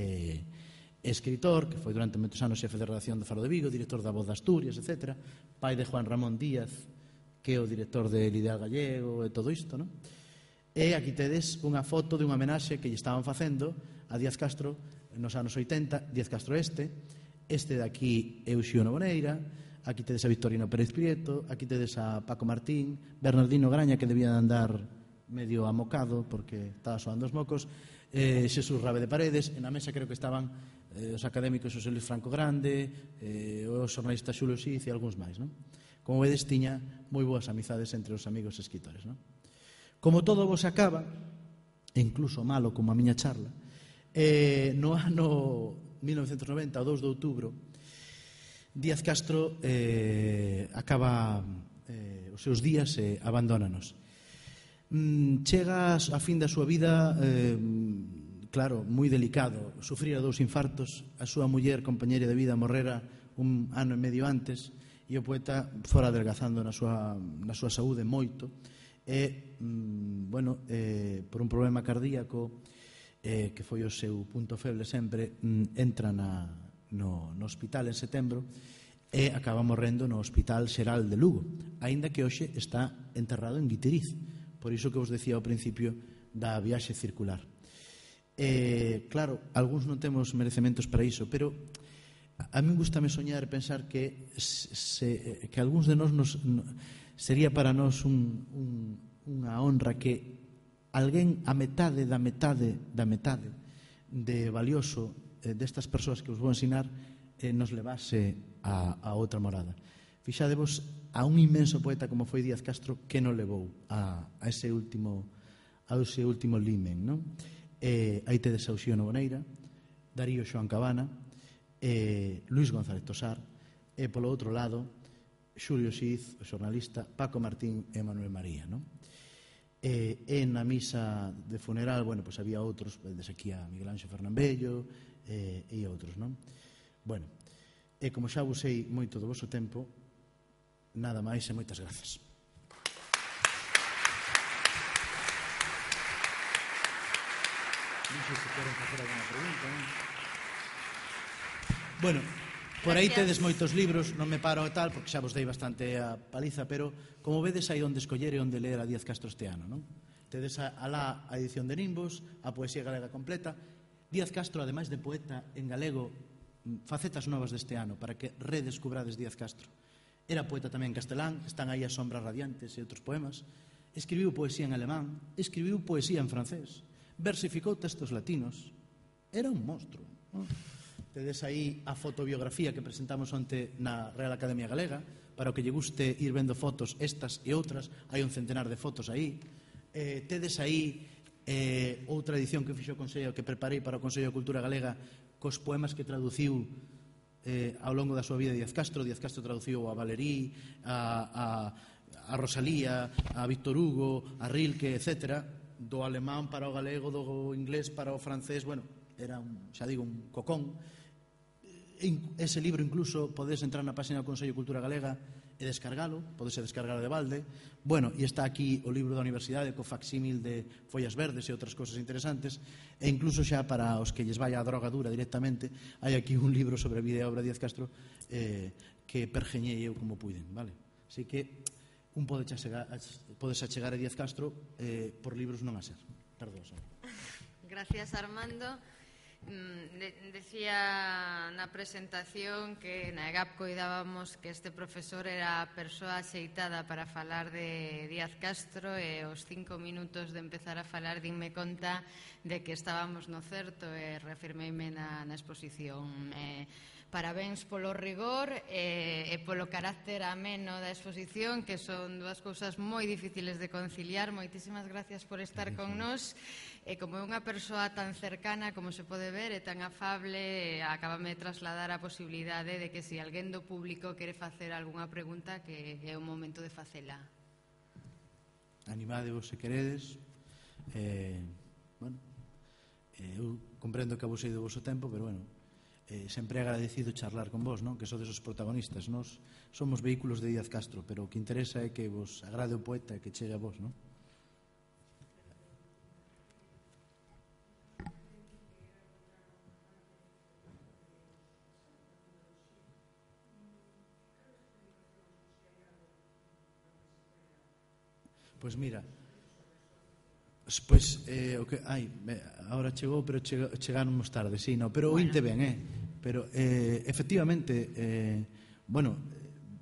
e escritor, que foi durante moitos anos xefe de redacción do Faro de Vigo, director da Voz de Asturias, etcétera, pai de Juan Ramón Díaz, que é o director de Ideal Gallego e todo isto, non? E aquí tedes unha foto de unha homenaxe que lle estaban facendo a Díaz Castro nos anos oitenta, Díaz Castro este, este de aquí é Uxío Noboneira, aquí tedes a Victorino Pérez Prieto, aquí tedes a Paco Martín, Bernardino Graña, que debía de andar medio amocado porque estaba soando os mocos, eh, Xesús Rabe de Paredes, e na mesa creo que estaban eh, os académicos Xosé Luis Franco Grande, eh, o xornalista Xulio Xiz e algúns máis, non? Como vedes, tiña moi boas amizades entre os amigos escritores, non? Como todo vos acaba, e incluso malo como a miña charla, eh, no ano mil novecentos e noventa, o dous de outubro, Díaz Castro eh, acaba eh, os seus días e abandónanos. Mm, chega a fin da súa vida, eh, claro, moi delicado. Sufrira dous infartos, a súa muller, compañeira de vida, morrera un ano e medio antes, e o poeta fora adelgazando na súa, na súa saúde moito. E, mm, bueno, eh, por un problema cardíaco, eh, que foi o seu punto feble sempre, mm, entra na, no, no hospital en setembro e acaba morrendo no Hospital Xeral de Lugo, aínda que hoxe está enterrado en Guiteriz, por iso que vos decía ao principio da viaxe circular. Eh, claro, algúns non temos merecementos para iso, pero a mí gustame soñar e pensar que, se, que algúns de nós nos, sería para nós un, un, unha honra que alguén a metade da metade da metade de valioso eh, destas persoas que os vou ensinar eh, nos levase a, a outra morada. Fixadevos a un inmenso poeta como foi Díaz Castro que non levou a, a ese último a ese último limen, non? Eh, aí tedes a Uxío Noboneira, Darío Xoán Cabana, eh, Luis González Tosar, e polo outro lado Xulio Xiz, o xornalista, Paco Martín e Manuel María, non? E, e na misa de funeral, bueno, pois había outros, desde aquí a Miguel Anxo Fernambello e, e outros, non? Bueno, e como xa abusei moito do voso tempo, nada máis e moitas grazas. Non sei se queren facer alguna pregunta, non? Bueno, por aí tedes moitos libros, non me paro e tal, porque xa vos dei bastante a paliza, pero como vedes hai onde escoller e onde ler a Díaz Castro este ano, non? Tedes alá a edición de Nimbos, a poesía galega completa. Díaz Castro, ademais de poeta en galego, facetas novas deste ano, para que redescubrades Díaz Castro. Era poeta tamén en castelán, están aí as sombras radiantes e outros poemas. Escribiu poesía en alemán, escribiu poesía en francés, versificou textos latinos. Era un monstruo, non? Tedes aí a fotobiografía que presentamos onte na Real Academia Galega, para o que lle guste ir vendo fotos estas e outras, hai un centenar de fotos aí. Eh, tedes aí eh, outra edición que fixo o Consello, que preparei para o Consello de Cultura Galega, cos poemas que traduciu eh, ao longo da súa vida Díaz Castro. Díaz Castro traduciu a Valéry, a, a, a Rosalía, a Víctor Hugo, a Rilke, etcétera, do alemán para o galego, do inglés para o francés. Bueno, era, un, xa digo, un cocón. Ese libro incluso podes entrar na página do Consello de Cultura Galega e descargalo, podes descargalo de balde. Bueno, e está aquí o libro da Universidade co facsímil de Follas Verdes e outras cosas interesantes, e incluso xa para os que lles vai a droga dura directamente, hai aquí un libro sobre a vida e obra de Díaz Castro eh, que pergeñei eu como puiden, vale? Así que un pode achegar, podes achegar a Díaz Castro eh, por libros non a ser. Perdón. Gracias, Armando. De, decía na presentación que na E G A P coidábamos que este profesor era a persoa axeitada para falar de Díaz Castro, e os cinco minutos de empezar a falar dinme conta de que estábamos no certo e reafirmeime na, na exposición. Eh, Parabéns polo rigor e, e polo carácter ameno da exposición, que son dúas cousas moi difíciles de conciliar. Moitísimas gracias por estar con nós. E como é unha persoa tan cercana, como se pode ver, e tan afable, acabame de trasladar a posibilidade de que se alguén do público quere facer algunha pregunta, que é o momento de facela. Animadevos se queredes. Eh, bueno, eh, eu comprendo que abusei do voso tempo, pero bueno, eh, sempre é agradecido charlar con vos, non? Que sodes os protagonistas. Nos somos vehículos de Díaz Castro, pero o que interesa é que vos agrade o poeta e que chegue a vos, non? Pois mira, pois eh, o que ai, agora chegou, pero chega, chegáronmos tarde, sí, no, pero ointe ben, eh. Pero eh, efectivamente, eh, bueno,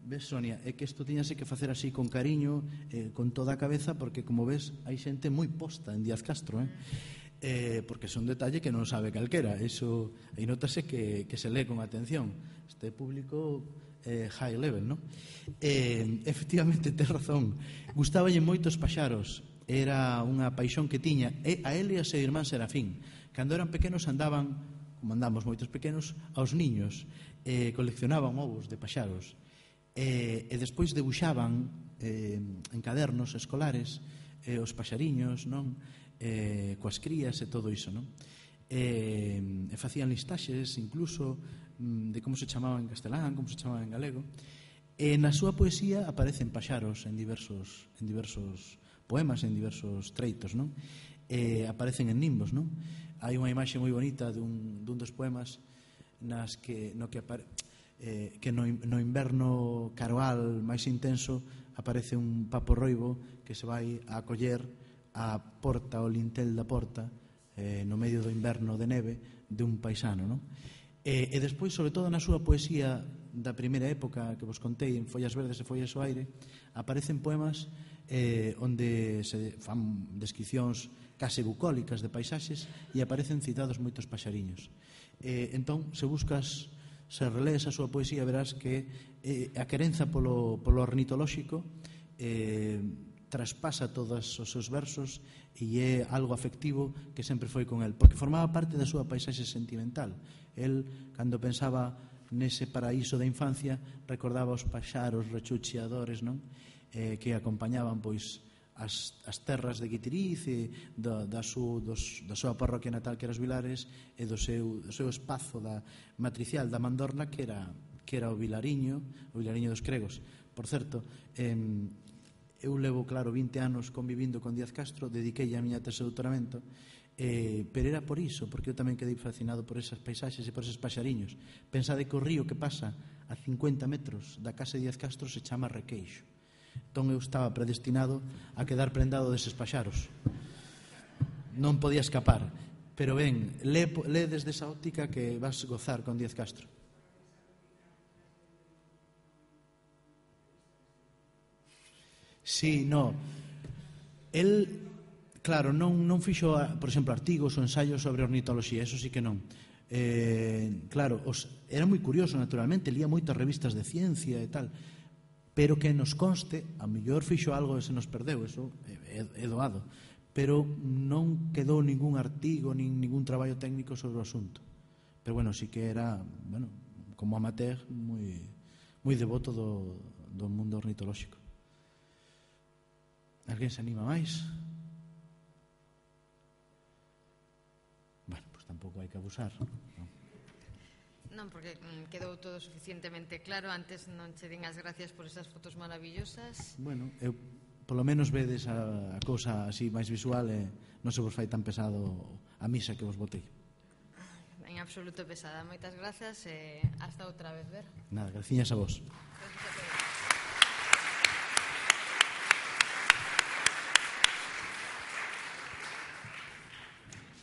ves, Sonia, é que isto tiñase que facer así con cariño, eh, con toda a cabeza, porque como ves, hai xente moi posta en Díaz Castro, eh. Eh, porque é un detalle que non sabe calquera. Eso, aí notase que, que se lee con atención. Este público eh, high level, non? Eh, efectivamente, ten razón. Gustabanlle moitos paxaros era unha paixón que tiña, e a ele e a seu irmán Serafín. Cando eran pequenos andaban, como andamos moitos pequenos, aos niños, e coleccionaban ovos de paxaros, e, e despois debuxaban eh, en cadernos escolares eh, os paxariños, non? Eh, coas crías e todo iso, non? E, e facían listaxes incluso mm, de como se chamaba en castelán, como se chamaba en galego. E na súa poesía aparecen paxaros en diversos, en diversos poemas, en diversos treitos, non? E aparecen en nimbos, non? Hai unha imaxe moi bonita dun, dun dos poemas nas que, no que, apare, eh, que no, no inverno caroal máis intenso aparece un papo roibo que se vai a acoller a porta, o lintel da porta, eh, no medio do inverno de neve de un paisano, non? E, e despois, sobre todo na súa poesía da primeira época que vos contei, en Follas Verdes e Follas ao Aire, aparecen poemas eh, onde se fan descripcións case bucólicas de paisaxes e aparecen citados moitos paxariños. Eh, entón, se buscas, se relees a súa poesía, verás que eh, a querenza polo, polo ornitolóxico eh, traspasa todos os seus versos e é algo afectivo que sempre foi con el, porque formaba parte da súa paisaxe sentimental. El, cando pensaba nese paraíso da infancia, recordaba os paxaros rechucheadores, non? Eh, que acompañaban pois as, as terras de Guitiriz e da, da, su, dos, da súa parroquia natal que era os Vilares e do seu, do seu espazo da matricial da Mandorla que era, que era o Vilariño, o Vilariño dos Cregos. Por certo, eh, eu levo, claro, vinte anos convivindo con Díaz Castro, dediquei a miña tese de doutoramento, eh, pero era por iso, porque eu tamén quedei fascinado por esas paisaxes e por eses paxariños. Pensade que o río que pasa a cincuenta metros da casa de Díaz Castro se chama Requeixo. Entón eu estaba predestinado a quedar prendado deses paxaros. Non podía escapar. Pero ben, lé, lé desde esa óptica que vas gozar con Díaz Castro. Sí, no. El, claro, non, non fixo, por exemplo, artigos ou ensaios sobre ornitoloxía, eso sí que non. Eh, claro, os, era moi curioso, naturalmente, lía moitas revistas de ciencia e tal, pero que nos conste, a mellor fixo algo e se nos perdeu, eso é, é doado, pero non quedou ningún artigo, nin ningún traballo técnico sobre o asunto. Pero, bueno, sí que era, bueno, como amateur, moi, moi devoto do, do mundo ornitolóxico. Alguén se anima máis? Bueno, pois pues tampouco hai que abusar, non? Non, porque quedou todo suficientemente claro. Antes non che din as gracias por esas fotos maravillosas. Bueno, eu polo menos vedes a, a cousa así máis visual e non se vos fai tan pesado a misa que vos botei. En absoluto pesada. Moitas grazas e hasta outra vez, ver. Nada, graciñas a vos. Gracias a todos.